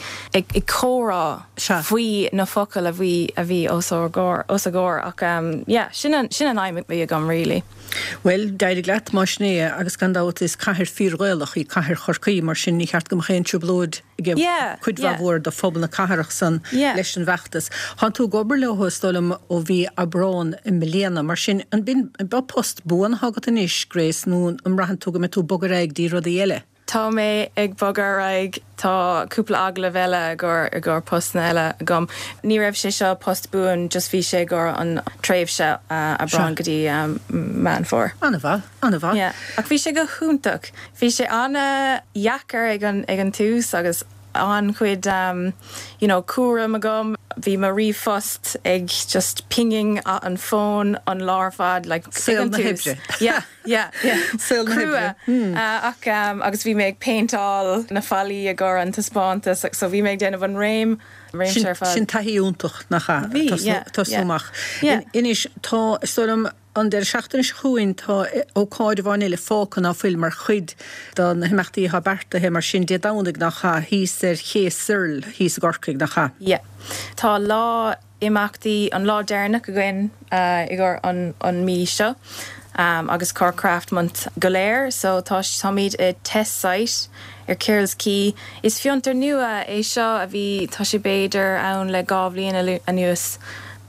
comhrá faoi na focail a bhí a bhí os ár gcomhair os a gcomhair ach yeah sin an sin an aidhm a bhí agam really. Bhuel, d'éirigh leat, más sin é, agus gan dabht is cathair fíor-Ghaelach í cathair Chorcaí, mar sin ní cheart go mbeadh aon trioblóid ag cuid mhaith mhór de phobal na cathrach san leis an bhfeachtas. Tánn tú ag obair leo, is dóigh liom, ó mhí Aibreán i mbliana, mar sin an b'in post buan atá agat anois, Grace, nó an mbraitheann tú go mbeidh tú ag bogadh ar aghaidh dtí rudaí eile? Tá mé ag bogadh ar aghaidh. Tá cúpla agallamh eile i gcomhair i gcomhair postanna eile agam. Ní raibh sé seo post buan, just bhí sé i gcomhair an tréimhse Aibreán go dtí Meán Fómhair. An-mhaith, an-mhaith. Yeah. Ach bhí sé go hiontach. Bhí sé an-dheacair ag an ag an tús agus an-chuid you know cúram agam. Bhí mo ríomhphost ag just pinging an fón an lá ar fad like ag an tús. Saol na hoibre. Yeah. Yeah, yeah. Saol na hoibre. Crua. Ach agus bhí mé ag péinteáil na fallaí i gcomhair an taispeántas so bhí mé ag déanamh an réim, réimse ar fad. Sin taithí iontach, nach ea? Bhí, yeah, Tosnú amach. Yeah. Anois, tá, is dóigh liom, an deireadh seachtaine seo chugainn tá ócáid amháin eile fágtha ná fuil mar chuid de na himeachtaí atá beartaithe, mar sin Dé Domhnaigh, nach ea, thíos ar Ché Searle thíos i gCorcaigh, nach ea? Yeah. Tá lá imeachtaí an lá deireanach againn i gcomhair an mí seo agus Cork Craft Month go léir so tá táimid i Test Site ar Tyrrell's Quay. Is fiontar nua é seo a bhí tá sé b'fhéidir ann le 2 bhliain anuas.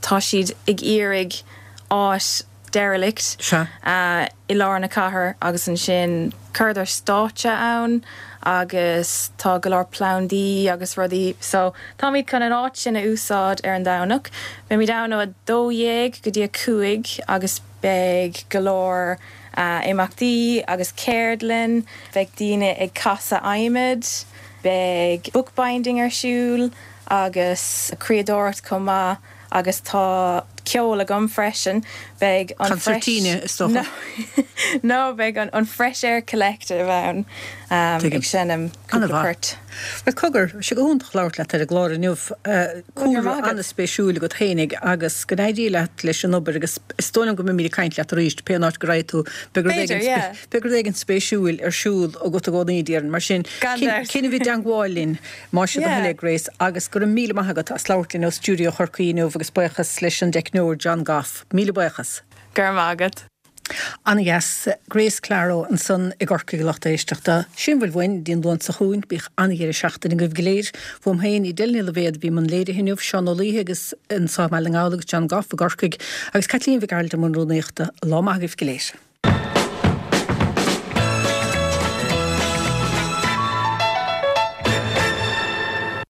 Tá siad ag iarraidh áit derelict i lár na cathair agus ansin chuireadar stáitse ann agus tá go leor plandaí agus rudaí so táimid chun an áit sin a úsáid ar an Domhnach. Beimid ann ó 12 go dtí 5 agus beidh go leor imeachtaí agus ceardlann, beidh daoine ag casadh adhmaid, beidh bookbinding ar siúl agus criadóireacht chomh maith. Agus tá ceol agam freisin. Beidh an Fresh. Concertina, is dócha. No, beidh an Fresh Air Collective ann ag seinm cúpla port. Bhuel, cogar, bhí sé go hiontach labhairt leat ar an gclár inniu. Cúlra an-spéisiúil agat fhéinig agus go n-éirí leat leis an obair agus is dóigh liom go mbeimid ag caint leat arís, pé an áit go raghaidh tú, beidh rud éigin, beidh rud éigin spéisiúil ar siúl agat i gcónaí, déarfainn. Mar sin, coinnigh i dteangmháil linn. Más é do thoil é, Grace, agus go raibh míle maith agat as labhairt linn ó stiúideo Chorcaí inniu agus buíochas leis an dteicneoir John Goff. Míle buíochas. Go raibh maith agat. An-dheas. Grace Claro ansan i gCorcaigh a lucht éisteachta. Sin a bhfuil uainn go dtí an Luan seo chugainn. Bíodh an-dheireadh seachtaine agaibh go léir. Uaim féin, Edel Ní Loibhéad a bhí i mbun léirithe inniu, Seán Ó Laoithe agus anso i mBaile na nGall agus John Goff i gCorcaigh agus Caitlín Mhic Gearailt i mbun rúnaíochta. Lá maith agaibh go léir.